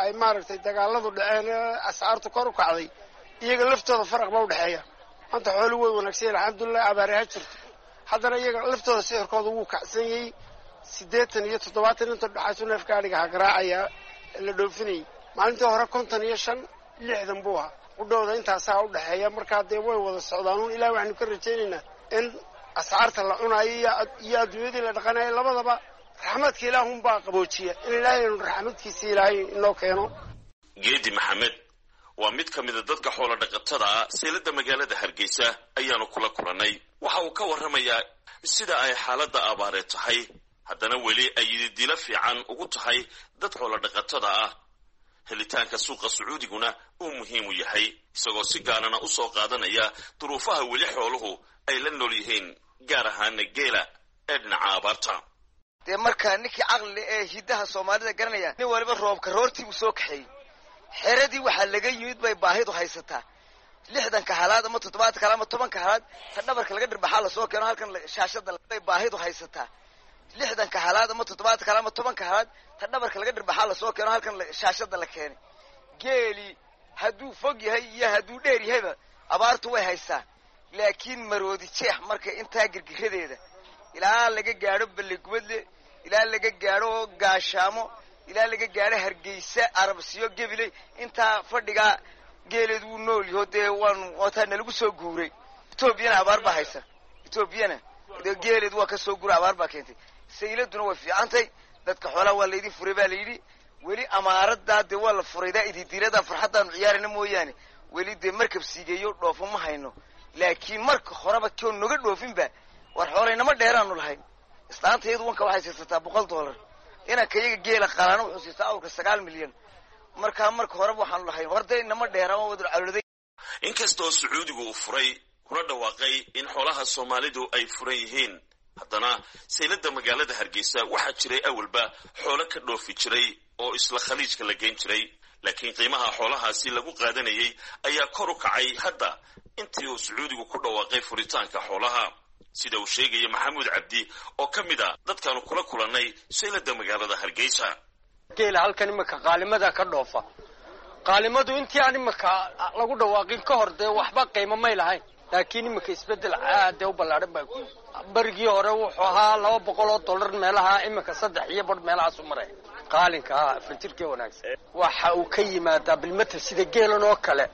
ay maaragtay dagaaladu dhaceen ee ascaartu kor u kacday, iyaga laftooda faraq baa udhexeeya. Maanta xooluhu way wanaagsan yahin, alxamdulilah, abaare ha jirto, haddana iyaga laftooda sicirkooda wuu kacsan yahay. Siddeetan iyo toddobaatan inta dhexaysu neefka adhiga ha garaacaya la dhoofinayay. Maalintii hore konton iyo shan, lixdan buu ahaa qudhowda, intaasaa u dhexeeya. Markaa dee way wada socdaanuun. Ilahi waxaynu ka rajaynaynaa in ascaarta la cunaayo iyo adduunyadii la dhaqanayo labadaba raxmadka ilaahunbaa qaboojiya, in ilaahay aynu raxmadkiisa ilaahay inoo keeno. Geedi Maxamed waa mid ka mida dadka xoola dhaqatada ah. Seylada magaalada Hargeysa ayaanu kula kulannay. Waxa uu ka warramayaa sida ay xaaladda abaareed tahay, haddana weli ay yididilo fiican ugu tahay dad xoola dhaqatada ah, helitaanka suuqa Sacuudiguna uu muhiim u yahay, isagoo si gaarana u soo qaadanaya duruufaha weli xooluhu ay la nool yihiin, gaar ahaana geela ee dhinaca abaarta. Dee markaa ninkii caqli ee hiddaha Soomaalida garanaya, nin waliba roobka roortii buu soo kaxeeyey. Xeradii waxaa laga yimid bay baahidu haysataa. Lixdanka halaad ama toddobaatanka halaad ama tobanka halaad ta dhabarka laga dhirbaxaa lasoo keeno halkan shaashada bay baahidu haysataa. Lixdanka halaad ama toddobaatanka halaad ama tobanka halaad ta dhabarka laga dhirbaxaa lasoo keeno halkan shaashada la keenay. Geeli hadduu fog yahay iyo hadduu dheer yahayba abaartu way haystaa, laakiin maroodi jeex marka intaa girgiradeeda ilaa laga gaadho Ballegubadle, ilaa laga gaadho Gaashaamo, ilaa laga gaadho Hargeysa, Arabsiyo, Gebiley, intaa fadhigaa geeleed wuu nool yaho. Dee waanu waataa nalagu soo guuray. Etoobiyana abaar baa haysa, Etoobiyana dee geeleed waa ka soo guura, abaar baa keentay. Sayladuna way fiicantay, dadka xoolaha waa laydin furay baa layidhi. Weli amaaraddaa dee waa la furaydaa, ididiiradaa farxaddaanu ciyaarayna mooyaane, weli dee markab siigeeyo dhoofo ma hayno. Laakiin marka horeba koo noga dhoofinba war xoolaynama dheeraanu lahayn. Islaanta iyadu wanka waxay siisataa boqol dollar, inanka iyaga geela qalaana wuxuu siistaa awrka sagaal milyan. Markaa marka horeba waxaanu lahayn horda inama dheeraan wadul caloladay. Inkastoo Sacuudigu uu furay kuna dhawaaqay in xoolaha Soomaalidu ay furan yihiin, haddana saylada magaalada Hargeysa waxaa jiray awalba xoolo ka dhoofi jiray oo isla Khaliijka la geyn jiray, laakiin qiimaha xoolahaasi lagu qaadanayay ayaa kor u kacay hadda intii uu Sacuudigu ku dhawaaqay furitaanka xoolaha, sida uu sheegaya Maxamuud Cabdi oo ka mid a dadkaanu kula kulannay saylada magaalada Hargeysa. Geela halkan iminka qaalimada ka dhoofa, qaalimadu intii aan iminka lagu dhawaaqin ka hor dee waxba qiimo may lahayn, laakiin iminka isbeddel aadee u ballaadhan baa ku. Barigii hore wuxuu ahaa laba boqol oo dollar meelaha, iminka saddex iyo badh meelahaasu maraya qaalinka afar jirkee wanaagsan. Waxa uu ka yimaadaa bilmatel sida geelan oo kale,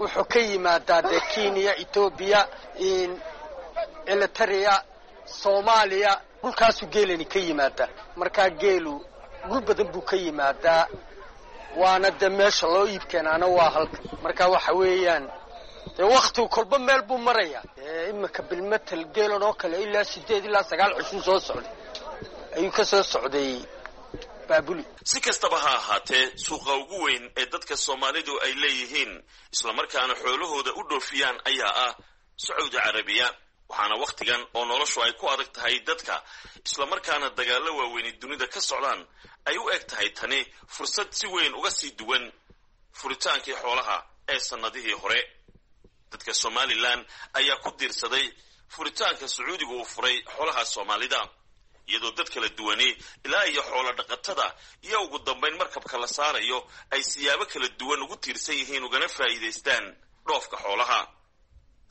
wuxuu ka yimaadaa dee Kenya, Etoobiya, Elitaria, Soomaaliya, dhulkaasuu geelani ka yimaadaa. Markaa geelu dhul badan buu ka yimaadaa, waana dee meesha loo iib keenaana waa halka. Marka waxa weeyaan dee waktigu kolba meel buu marayaa. Iminka bilmatel geelan oo kale ilaa sideed ilaa sagaal cushun soo socday ayuu ka soo socday Baabuli. Si kastaba ha ahaatee, suuqa ugu weyn ee dadka Soomaalidu ay leeyihiin islamarkaana xoolahooda u dhoofiyaan ayaa ah Sacuudi Carabiya, waxaana wakhtigan oo noloshu ay ku adag tahay dadka, islamarkaana dagaallo waaweyni dunida ka socdaan, ay u eg tahay tani fursad si weyn uga sii duwan furitaankii xoolaha ee sannadihii hore. Dadka Somalilan ayaa ku diirsaday furitaanka Sacuudigu uu furay xoolaha Soomaalida, iyadoo dad kala duwani ilaa iyo xoolo dhaqatada iyo ugu dambayn markabka la saarayo ay siyaabo kala duwan ugu tiirsan yihiin ugana faa'iidaystaan dhoofka xoolaha.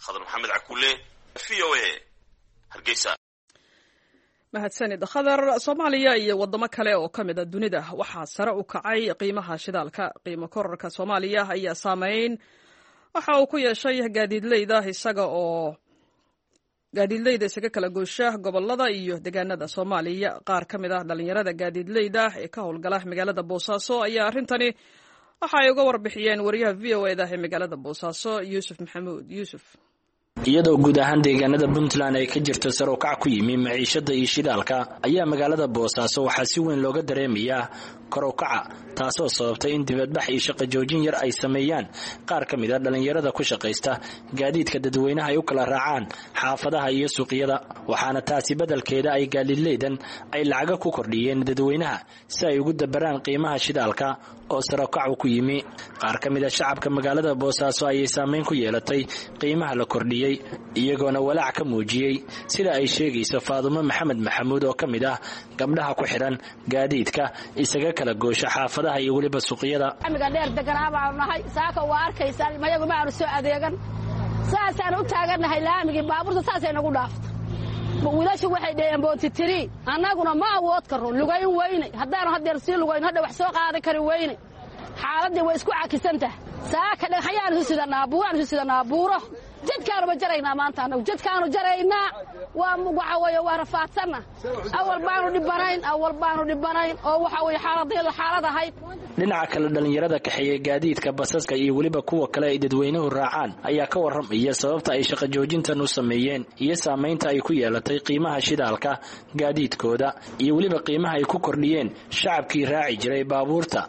Khadar Maxamed Cakulle, V O A, Hargeysa. Mahadsanid, Khadar. Soomaaliya iyo waddamo kale oo ka mid a dunida waxaa sare u kacay qiimaha shidaalka. Qiimo kororka Soomaaliya ayaa saameyn waxa uu ku yeeshay gaadiidleyda, isaga oo gaadiidleyda isaga kala goosha gobolada iyo deegaanada Soomaaliya. Qaar ka mid ah dhalinyarada gaadiidleyda ee ka howlgala magaalada Boosaaso ayaa arrintani waxa ay uga warbixiyeen wariyaha V O eda ee magaalada Boosaaso, Yuusuf Maxamuud Yuusuf. Iyadoo guud ahaan deegaanada Puntland ay ka jirto sar u kac ku yimi maciishada iyo shidaalka, ayaa magaalada Boosaaso waxaa si weyn looga dareemayaa kor u kaca, taasoo sababtay in dibadbax iyo shaqo joojin yar ay sameeyaan qaar ka mid a dhallinyarada ku shaqaysta gaadiidka dadweynaha ay u kala raacaan xaafadaha iyo suuqyada. Waxaana taasi beddelkeeda ay gaadiidleydan ay lacaga ku kordhiyeen dadweynaha si ay ugu dabaraan qiimaha shidaalka oo sarokacu ku yimi. Qaar ka mid a shacabka magaalada Boosaaso ayay saameyn ku yeelatay qiimaha la kordhiyey, iyagoona walaac ka muujiyey sida ay sheegayso Faadumo Maxamed Maxamuud oo ka mid ah gabdhaha ku xidhan gaadiidka isaga kala goosha xaafadaha iyo weliba suuqyada. Amiga dheer deganaa baanu nahay, saaka waa arkaysaa mayagu ma aanu soo adeegan, saasaan u taagannahay laamigii baabuurta saasay nagu dhaafta. Wiilashu waxay dhaheen boonti tiri, annaguna ma awood karno, lugayn weyne haddaanu haddeer sii lugayn hadha wax soo qaadan kari weyne. Xaaladdii way isku cakisan tahay. Saaka dhagxayaan isu sidanaa, buuraan isu sidanaa, buuro jadkaanuba jaraynaa maanta, annagu jadkaanu jaraynaa. Waa waxa weeye waa rafaadsanna, awal baanu dhibanayn, awal baanu dhibanayn oo waxa weeye xaaladii la xaalad ahayd. Dhinaca kale, dhallinyarada kaxeeya gaadiidka basaska iyo weliba kuwa kale ay dadweynuhu raacaan ayaa ka warramaya sababta ay shaqo joojintan u sameeyeen iyo saamaynta ay ku yeelatay qiimaha shidaalka gaadiidkooda iyo weliba qiimaha ay ku kordhiyeen shacabkii raaci jiray baabuurta.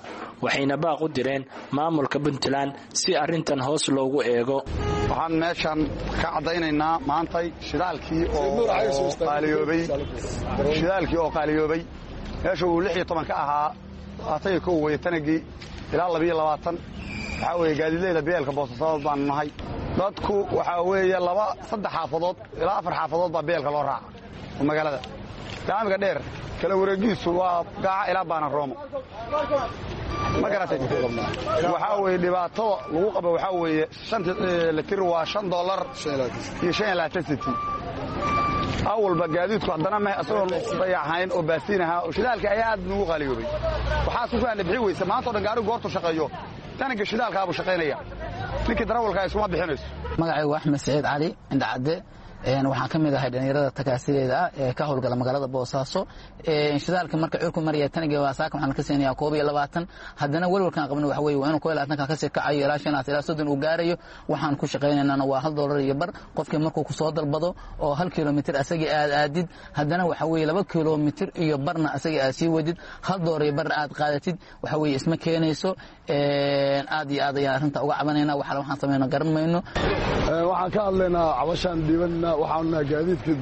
Waxayna baaq u direen maamulka Puntland si arrintan hoos loogu eego. Waxaan meeshan ka caddaynaynaa maantay shidaalkii oo qaaliyoobay, shidaalkii oo qaaliyoobay meesha uu lix iyo toban ka ahaa labaatan iyo kow weye tanagii ilaa labiyo labaatan. Waxaa weeye gaadiidleyda beelka Boosasadood baanu nahay. Dadku waxaa weeye laba saddex xaafadood ilaa afar xaafadood baa beelka loo raaca oo magaalada laamiga dheer kala wareegiisu waa Gaaca ilaa Baanan Roomo, ma garatay? Waxaa weeye dhibaatada lagu qabo waxaa weeye shanta litir waa shan dollar iyo shan iyo labaatan senti. Awalba gaadiidku haddana ma isagoon dayaxayn oo baasiin ahaa oo shidaalka ayaa aad nugu qaaliyoobay. Waxaa sugaan bixi weysa maanta o dhan gaarigu goortu shaqeeyo tananka shidaalkaabuu shaqaynaya, ninkii darawalkaa iskuma bixinayso. Magacaygu Axmed Saciid Cali Indhacadde, waxaan ka mid ahay dhallinyarada takaasideeda ah ee ka howlgala magaalada Boosaaso. Shidaalka marka curku maraya taniga waa saaka waxaan ka siinayaa koob iyo labaatan. Haddana welwalkaan qabno waxa weeye waa inuu koob iyo labaatanka kasii kacayo ilaa shanaas ilaa soddon uu gaarayo. Waxaan ku shaqaynaynana waa hal doolar iyo bar. Qofkii markuu kusoo dalbado oo hal kilomitir asagii aad aadid, haddana waxa weeye laba kilomitir iyo barna asagii aad sii wadid, hal doolar iyo barna aad qaadatid, waxa weeye isma keenayso. Aad iyo aad ayaan arrinta uga cabanayna, waxala waxaan samayno garan mayno. Waxaan ka hadlaynaa cabashaan dhiibanna. Waxaanu nahay gaadiidka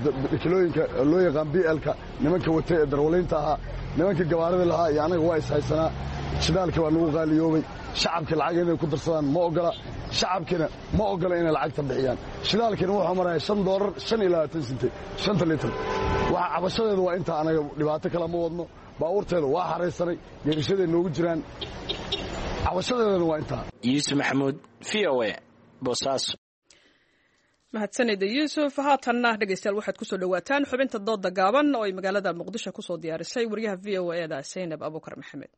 kilooyinka loo yaqaan B L-ka, nimanka watay ee darwalaynta ahaa, nimanka gabaarida lahaa iyo anaga waa ishaysanaa. Shidaalka waa nagu qaaliyoobay. Shacabka lacag inay ku darsadaan ma ogola, shacabkina ma ogola inay lacagta bixiyaan. Shidaalkina wuxuu maraya shan doolar shan iyo labaatan sente shanta litir. Waxa cabashadeeda waa intaa, anaga dhibaato kale ma wadno. Baabuurteeda waa xaraysanay, geerishaday noogu jiraan, cabashadeedana waa intaa. Yuusuf Maxamuud, V O A, Boosaaso. Mahadsanida Yuusuf. Haatanna dhegeystayaal, waxaad kusoo dhowaataan xubinta dooda gaaban oo ay magaalada Muqdisho kusoo diyaarisay wariyaha V O E da Saynab Abuukar Maxamed.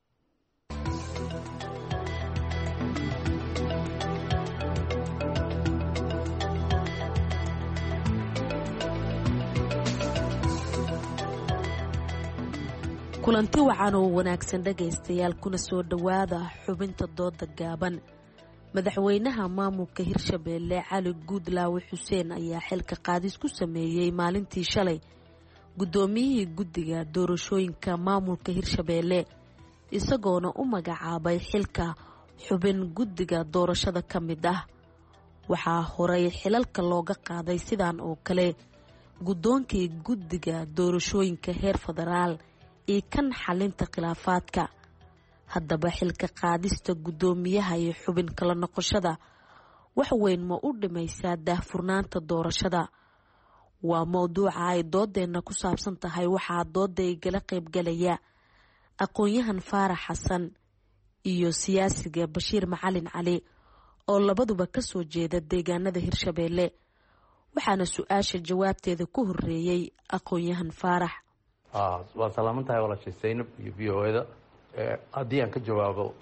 Kulanti wacan oo wanaagsan dhegaystayaal, kuna soo dhowaada xubinta dooda gaaban. Madaxweynaha maamulka Hirshabeelle Cali Guudlaawe Xuseen ayaa xilka qaadis ku sameeyey maalintii shalay guddoomiyihii guddiga doorashooyinka maamulka Hirshabeelle, isagoona u magacaabay xilka xubin guddiga doorashada ka mid ah. Waxaa horay xilalka looga qaaday sidaan oo kale guddoonkii guddiga doorashooyinka heer federaal iyo kan xalinta khilaafaadka. Haddaba xilka qaadista guddoomiyaha iyo xubin kala noqoshada wax weyn ma u dhimaysaa daahfurnaanta doorashada? Waa mowduuca ay doodeenna ku saabsan tahay. Waxaa dooda igala qaybgalaya aqoon-yahan Faarax Xasan iyo siyaasiga Bashiir Macalin Cali oo labaduba kasoo jeeda deegaanada Hirshabeelle. Waxaana su-aasha jawaabteeda ku horeeyey aqoon-yahan Faarax. Waa salaaman tahay walaashay Saynab iyo V O E da. Haddii aan ka jawaabo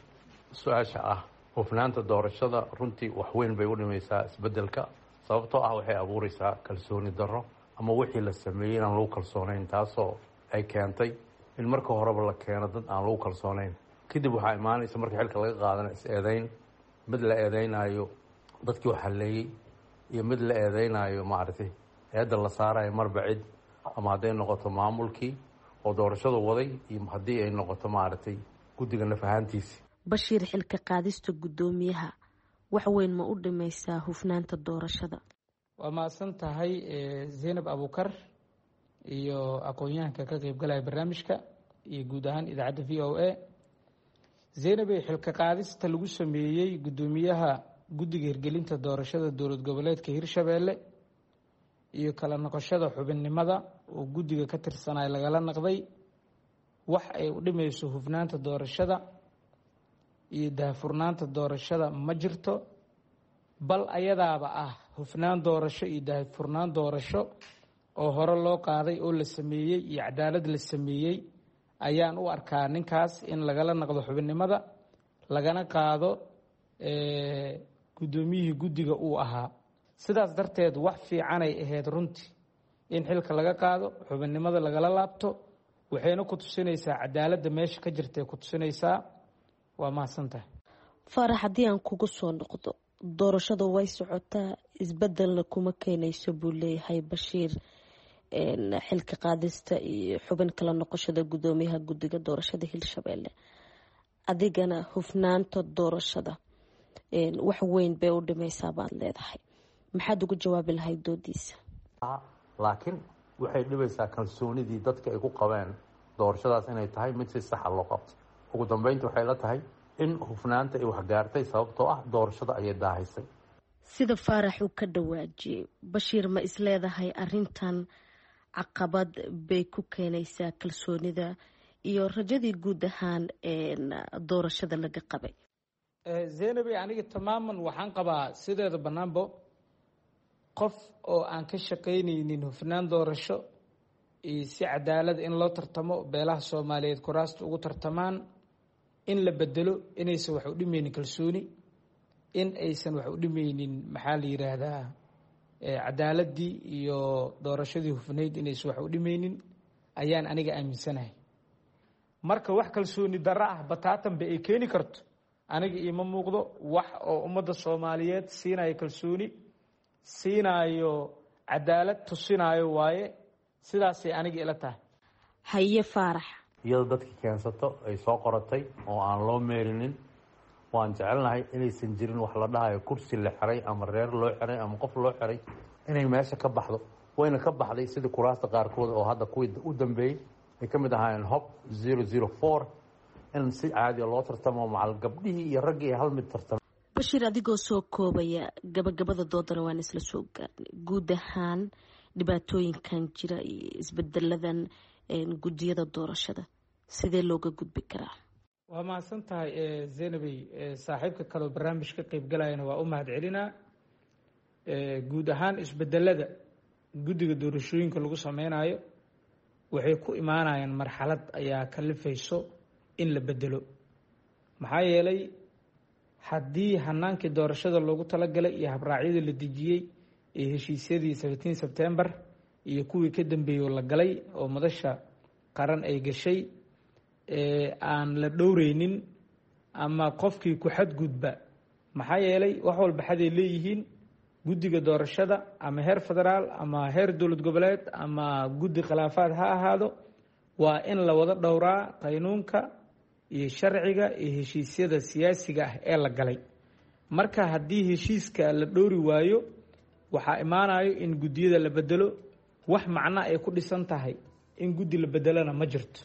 su-aasha ah hufnaanta doorashada, runtii wax weyn bay u dhimaysaa isbedelka, sababtoo ah waxay abuureysaa kalsooni darro ama wixii la sameeyey inaan lagu kalsoonayn, taasoo ay keentay in marka horeba la keeno dad aan lagu kalsoonayn. Kadib waxaa imaanaysa marka xilka laga qaadana is-eedeyn, mid la eedeynayo dadkii wax halleeyey iyo mid la eedeynayo maaragtay eedda la saarayo marba cid, ama hadday noqoto maamulkii oo doorashadu waday iyo haddii ay noqoto maaragtay guddiga naf ahaantiisi. Bashiir, xilka qaadista guddoomiyaha wax weyn ma u dhimaysaa hufnaanta doorashada? Waa mahadsan tahay Zaynab Abuukar iyo aqoon-yahanka ka qeybgalaya barnaamijka iyo guud ahaan idaacadda V O A. Zaynabey, xilka qaadista lagu sameeyey guddoomiyaha guddiga hirgelinta doorashada dowlad goboleedka Hirshabeelle iyo kala noqoshada xubinnimada oo guddiga ka tirsanay lagala naqday, wax ay u dhimayso hufnaanta doorashada iyo daahfurnaanta doorashada ma jirto. Bal ayadaaba ah hufnaan doorasho iyo daahfurnaan doorasho oo hore loo qaaday oo la sameeyey iyo cadaalad la sameeyey ayaan u arkaa ninkaas in lagala naqdo xubinnimada, lagana qaado guddoomiyihii guddiga uu ahaa. Sidaas darteed wax fiicanay ahayd runtii in xilka laga qaado, xubinnimada lagala laabto, waxayna ku tusinaysaa cadaaladda meesha ka jirtay ku tusinaysaa. Waa mahadsan tahay. Faarax, haddii aan kugu soo noqdo, doorashadu way socotaa, isbedelna kuma keenayso buu leeyahay Bashiir xilka qaadista iyo xubin kala noqoshada guddoomiyaha guddiga doorashada Hirshabeelle. Adigana hufnaanta doorashada wax weyn bay u dhimaysaa baad leedahay, maxaad ugu jawaabi lahayd doodiisa? Laakiin waxay dhibaysaa kalsoonidii dadka ay ku qabeen doorashadaas inay tahay mid si saxa loo qabto. Ugu dambeynta waxay la tahay in hufnaanta ay waxgaartay, sababtoo ah doorashada ayay daahaysay. Sida Faarax uu ka dhawaajiyey, Bashiir, ma isleedahay arintan caqabad bay ku keenaysaa kalsoonida iyo rajadii guud ahaan doorashada laga qabay? Zaynabey, aniga tamaaman waxaan qabaa sideeda banaanbo qof oo aan ka shaqaynaynin hufnaan doorasho iyo si cadaalad in loo tartamo, beelaha Soomaaliyeed kuraasta ugu tartamaan, in la bedelo inaysan wax u dhimeynin kalsooni, in aysan wax u dhimeynin maxaa la yiraahdaa cadaaladii iyo doorashadii hufnayd inaysan wax u dhimeynin ayaan aniga aaminsanahay. Marka wax kalsooni darro ah bataatanba ay keeni karto aniga iima muuqdo. Wax oo ummadda Soomaaliyeed siinayo kalsooni, siinayo cadaalad, tusinaayo waaye. Sidaasay aniga ila tahay. Haye Faarax. Iyadoo dadkii keensato ay soo qoratay oo aan loo meerinin, waan jecelnahay inaysan jirin wax la dhahayo kursi la xiray ama reer loo xiray ama qof loo xiray inay meesha ka baxdo. Wayna ka baxday sidii kuraasta qaarkood oo hadda kuwii u dambeeyey ay ka mid ahaayeen Hob zero zero four, in si caadiya loo tartamo macal gabdhihii iyo raggii hal mid tartamo. Bashiir, adigoo soo koobaya gabagabada doodana waan isla soo gaarnay, guud ahaan dhibaatooyinkan jira iyo isbedeladan guddiyada doorashada sidee looga gudbi karaa? Waa mahadsan tahay Zaynabey. Saaxiibka kaleo barnaamij ka qeybgalayana waa u mahad celinaa. Guud ahaan isbedelada guddiga doorashooyinka lagu sameynayo waxay ku imaanayaan marxalad ayaa kalifayso in la bedelo. Maxaa yeelay haddii hanaankii doorashada loogu talagalay iyo habraacyadii la dejiyey iyo heshiisyadii seventeen September iyo kuwii ka dambeeyey la galay oo madasha qaran ay gashay aan la dhowreynin ama qofkii ku xadgudba, maxaa yeelay wax walba xaday leeyihiin. Guddiga doorashada ama heer federaal ama heer dowlad goboleed ama guddi khilaafaad ha ahaado, waa in la wada dhowraa qaynuunka iyo sharciga iyo heshiisyada siyaasiga ah ee la galay. Marka haddii heshiiska la dhowri waayo, waxaa imaanayo in guddiyada la bedelo. Wax macno ay ku dhisan tahay in guddi la bedelona ma jirto.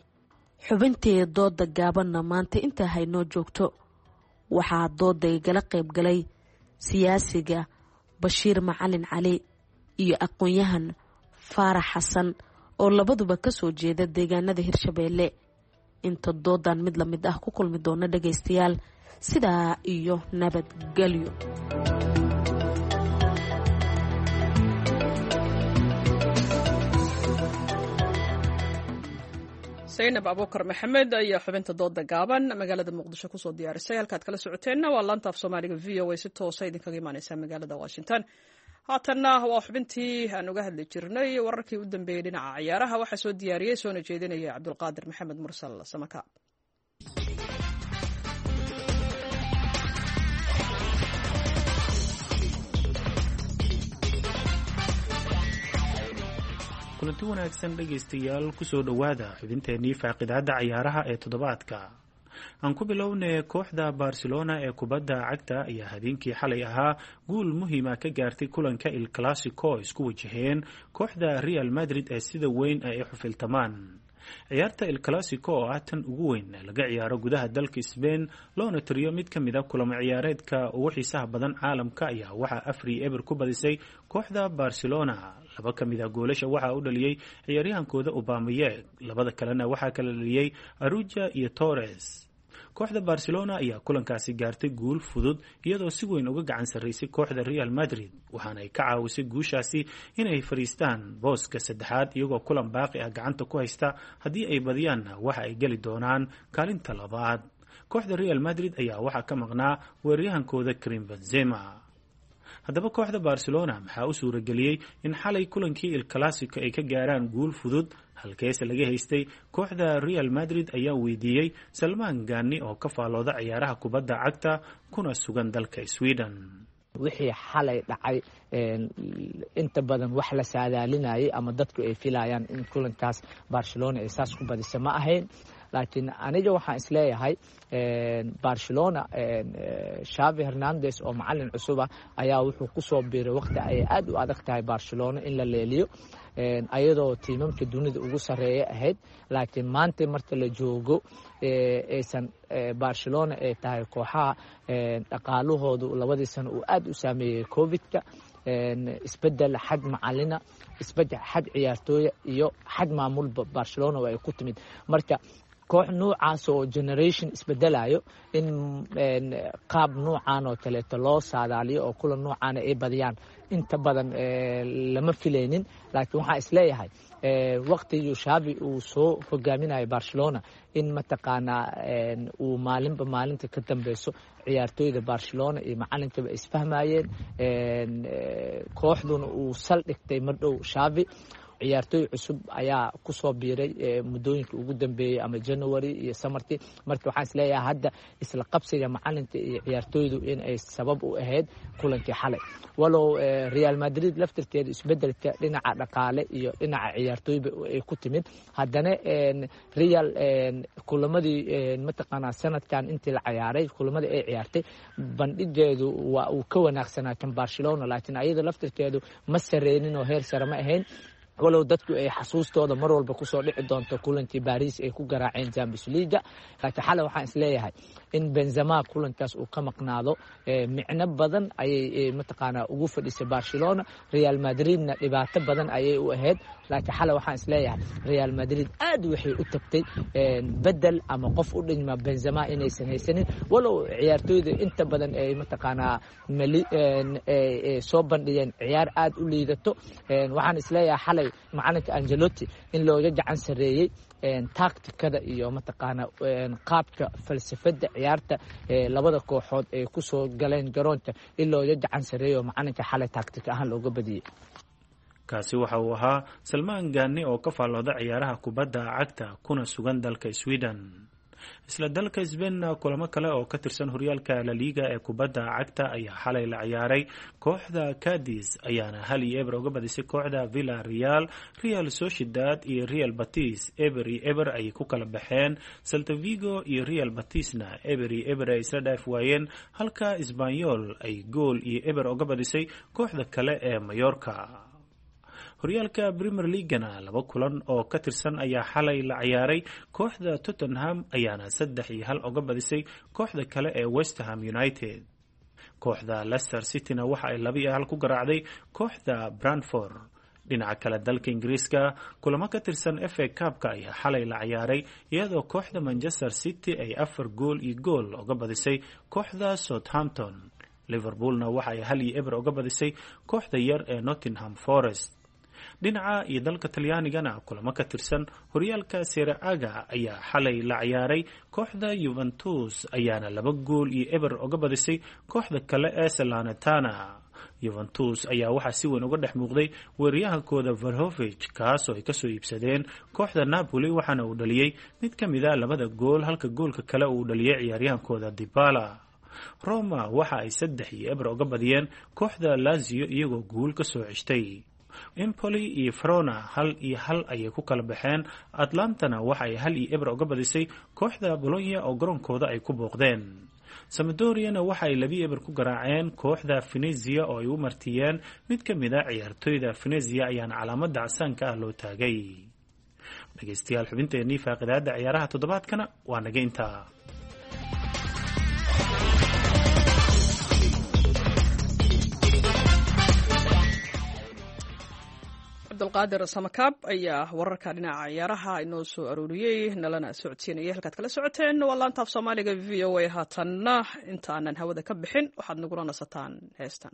Xubintii dooda gaabanna maanta intaa haynoo joogto. Waxaa dooda igala qayb galay siyaasiga Bashiir Macalin Cali iyo aqoon-yahan Faarax Xasan oo labaduba ka soo jeeda deegaanada Hirshabeelle. Inta doodan mid la mid ah ku kulmi doona dhagaystayaal, sidaa iyo nabadgelyo. Zaynab Abuukar Maxamed ayaa xubinta dooda gaaban magaalada Muqdisho kusoo diyaarisay. Halkaad kala socoteenna waa laanta af Soomaaliga V O A, si toosa idinkaga imaaneysa magaalada Washington. Haatanna waa xubintii aan uga hadli jirnay wararkii u dambeeyey dhinaca ciyaaraha. Waxaa soo diyaariyey soona jeedinaya Cabdulqaadir Maxamed Mursal Samaka. Kulanti wanaagsan dhegaystayaal, kusoo dhowaada xubinteennii faaqidaadda cayaaraha ee toddobaadka. Aan ku bilownay kooxda Barcelona ee kubadda cagta ayaa habeenkii xalay ahaa guul muhiima ka gaartay kulanka Il Clasico oo isku wajaheen kooxda Real Madrid ee sida weyn ay u xufiltamaan. Ciyaarta Il Clasico oo ah tan ugu weyn ee laga ciyaaro gudaha dalka Spain, loona tiriyo mid ka mid a kulamo ciyaareedka ugu xiisaha badan caalamka, ayaa waxaa afar iyo eber ku badisay kooxda Barcelona. Laba ka mid a goolasha waxaa u dhaliyey ciyaaryahankooda Aubameyang, labada kalena waxaa kala dhaliyey Aruja iyo Torres. Kooxda Barcelona ayaa kulankaasi gaartay guul fudud, iyadoo si weyn uga gacan sarraysay kooxda Real Madrid, waxaana ay ka caawisay guushaasi inay fadhiistaan booska saddexaad iyagoo kulan baaqi ah gacanta ku haysta. Haddii ay badiyaanna waxa ay geli doonaan kaalinta labaad. Kooxda Real Madrid ayaa waxaa ka maqnaa weeraryahankooda Karim Benzema. Haddaba kooxda Barcelona maxaa u suurageliyey in xalay kulankii Il Clasico ay ka gaaraan guul fudud, halkeese laga haystay kooxda Real Madrid, ayaa weydiiyey Salmaan Gaani oo ka faallooda ciyaaraha kubadda cagta kuna sugan dalka Sweden. Wixii xalay dhacay inta badan wax la saadaalinayay ama dadku ay filayaan in kulankaas Barcelona ay saas ku badisa ma ahayn, laakiin aniga waxaan isleeyahay Barcelona Xavi Hernandez oo macalin cusuba ayaa wuxuu ku soo biiray waqti ay aad u adag tahay Barcelona in la leeliyo, ayadoo tiimamka dunida ugu sarreeya ahayd. Laakiin maanta marka la joogo aysan Barcelona ay tahay kooxaha dhaqaalahoodu labadii sano uu aad u saameeyey Covid-ka, isbedel xag macalina, isbedel xag ciyaartooya iyo xag maamulba Barcelona ay ku timid. Marka koox noocaas oo generation isbedelayo in qaab noocan oo kaleeto loo saadaaliyo oo kulan noocaana ay badiyaan inta badan lama filaynin. Laakiin waxaan isleeyahay waqtigii Xavi uu soo hogaaminayo Barcelona in mataqaanaa uu maalinba maalinta ka dambeyso ciyaartooyda Barcelona iyo macalinkaba isfahmayeen, kooxduna uu saldhigtay mardhow Xavi. Ciyaartooy cusub ayaa ku soo biiray muddooyinka ugu dambeeyey ama January iyo samarkii. Marka waxaan isleeyahay hadda isla qabsiga macalinka iyo ciyaartooydu in ay sabab u ahayd kulankii xalay, walow Real Madrid laftirkeeda isbedelka dhinaca dhaqaale iyo dhinaca ciyaartooyba ay ku timid. Haddana Real kulamadii mataqaanaa sanadkan intii la ciyaaray, kulamadii ay ciyaartay bandhigeedu waa uu ka wanaagsanaa kan Barcelona, laakiin ayada laftirkeedu ma sareynin oo heer sare ma ahayn, walow dadku ay xasuustooda mar walba kusoo dhici doonto kulankii Baris ay ku garaaceen Champions League. Laakiin xalay waxaan isleeyahay in Benzema kulankaas uu ka maqnaado micno badan ayay mataqaanaa ugu fadhisay Barcelona, Real Madridna dhibaato badan ayay u ahayd. Laakiin xalay waxaan isleeyahay Real Madrid aad waxay u tagtay bedel ama qof u dhigma Benzema inaysan haysanin, walow ciyaartooyda inta badan ay mataqaanaa soo bandhigeen ciyaar aad u liidato. Waxaan isleeyahay xalay macalinka Angelotti in looga gacan sareeyey taktikada iyo mataqaanaa qaabka falsafada ciyaarta labada kooxood ay ku soo galeen garoonka, in looga gacan sareeyo macalinka xalay taktika ahaan looga badiyey. Kaasi waxa uu ahaa Salmaan Gaani oo ka faallooda ciyaaraha kubadda cagta kuna sugan dalka Sweden. Isla dalka Spain kulamo kale oo ka tirsan horyaalka La Liga ee kubadda cagta ayaa xalay la ciyaaray. Kooxda Cadiz ayaana hal iyo eber uga badisay kooxda Villarreal. Real Sociedad iyo Real Betis eber iyo eber ayay ku kala baxeen. Celta Vigo iyo Real Betisna eber iyo eber ay isla dhaaf waayeen, halka Espanyol ay gool iyo eber uga badisay kooxda kale ee Mallorca. Horyaalka Premier Leaguena laba kulan oo ka tirsan ayaa xalay la ciyaaray. Kooxda Tottenham ayaana saddex iyo hal uga badisay kooxda kale ee West Ham United. Kooxda Leicester Cityna waxa ay laba iyo hal ku garaacday kooxda Brentford. Dhinaca kale dalka Ingiriiska kulamo ka tirsan F A Cup-ka ayaa xalay la ciyaaray, iyadoo kooxda Manchester City ay afar gool iyo gool uga badisay kooxda Southampton. Liverpoolna waxa ay hal iyo eber uga badisay kooxda yar ee Nottingham Forest. Dhinaca iyo dalka Talyaanigana kulamo ka tirsan horyaalka Serie A ayaa xalay la ciyaaray. Kooxda Juventus ayaana laba gool iyo eber uga badisay kooxda kale ee Salernitana. Juventus ayaa waxaa si weyn uga dhex muuqday weeraryahankooda Vlahovic, kaasoo ay kasoo iibsadeen kooxda Napoli, waxaana uu dhaliyey mid ka mid a labada gool, halka goolka kale uu dhaliyey ciyaaryahankooda Dybala. Roma waxa ay saddex iyo eber uga badiyeen kooxda Lazio iyagoo guul ka soo ceshtay. Empoli iyo Verona hal iyo hal ayay ku kala baxeen. Atlantana waxa ay hal iyo eber uga badisay kooxda Bologna oo garoonkooda ay ku booqdeen. Sampdoriana waxa ay labi eber ku garaaceen kooxda Venezia oo ay u martiyeen mid ka mid a ciyaartoyda Venezia ayaana calaamada casaanka ah loo taagay. Dhegeystayaal, xubinteennii faaqidaada ciyaaraha toddobaadkana waa naga intaa. Cabdulqaadir Samakaab ayaa wararka dhinaca ciyaaraha inoo soo arooriyey, nalana socodsiinaya. Halkaad kala socoteen waa laantaaf Soomaaliga V O A. Haatanna intaanan hawada ka bixin waxaad nagula nasataan heestan.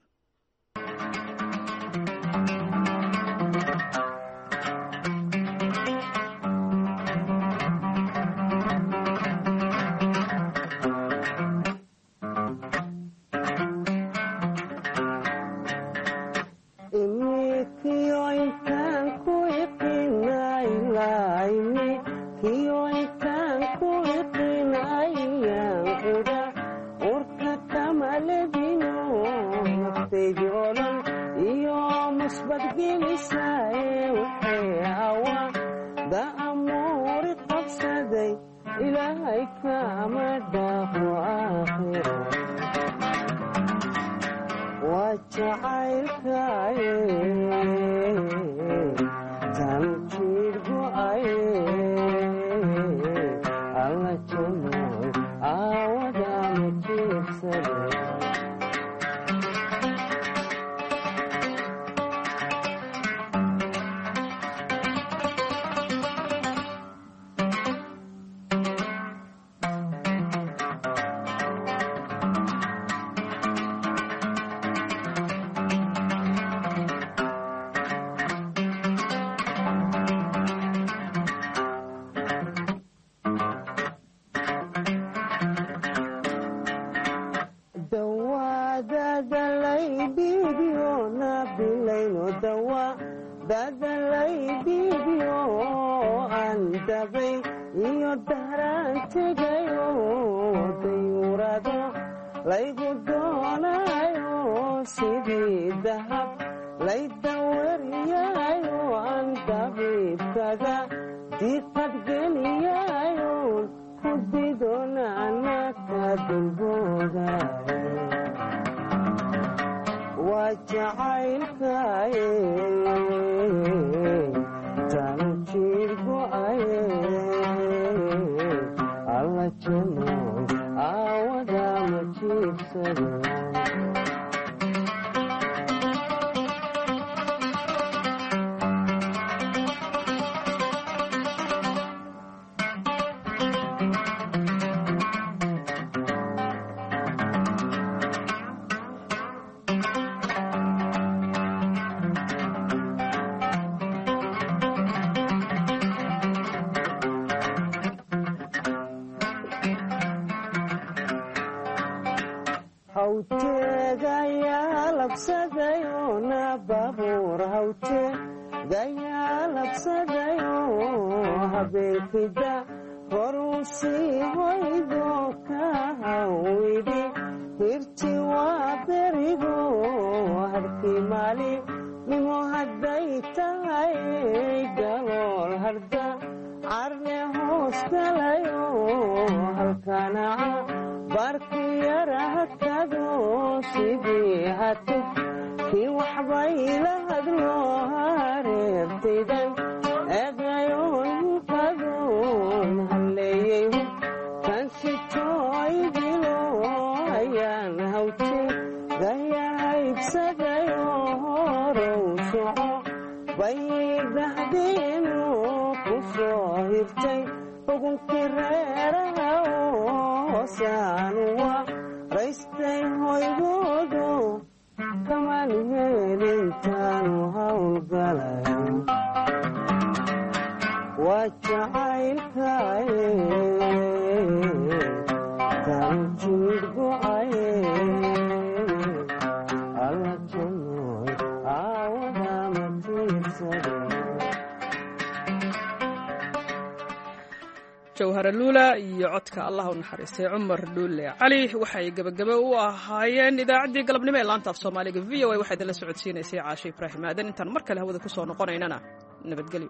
Jawhara Luula iyo codka Allah u naxariistay Cumar Dhuule Cali waxay gebagabo u ahaayeen idaacaddii galabnimo ee laanta af Soomaaliga V O A. Waxaa idinla socodsiinaysay Caashe Ibraahim Aadan. Intaan mar kale hawada ku soo noqonaynana, nabadgelyo.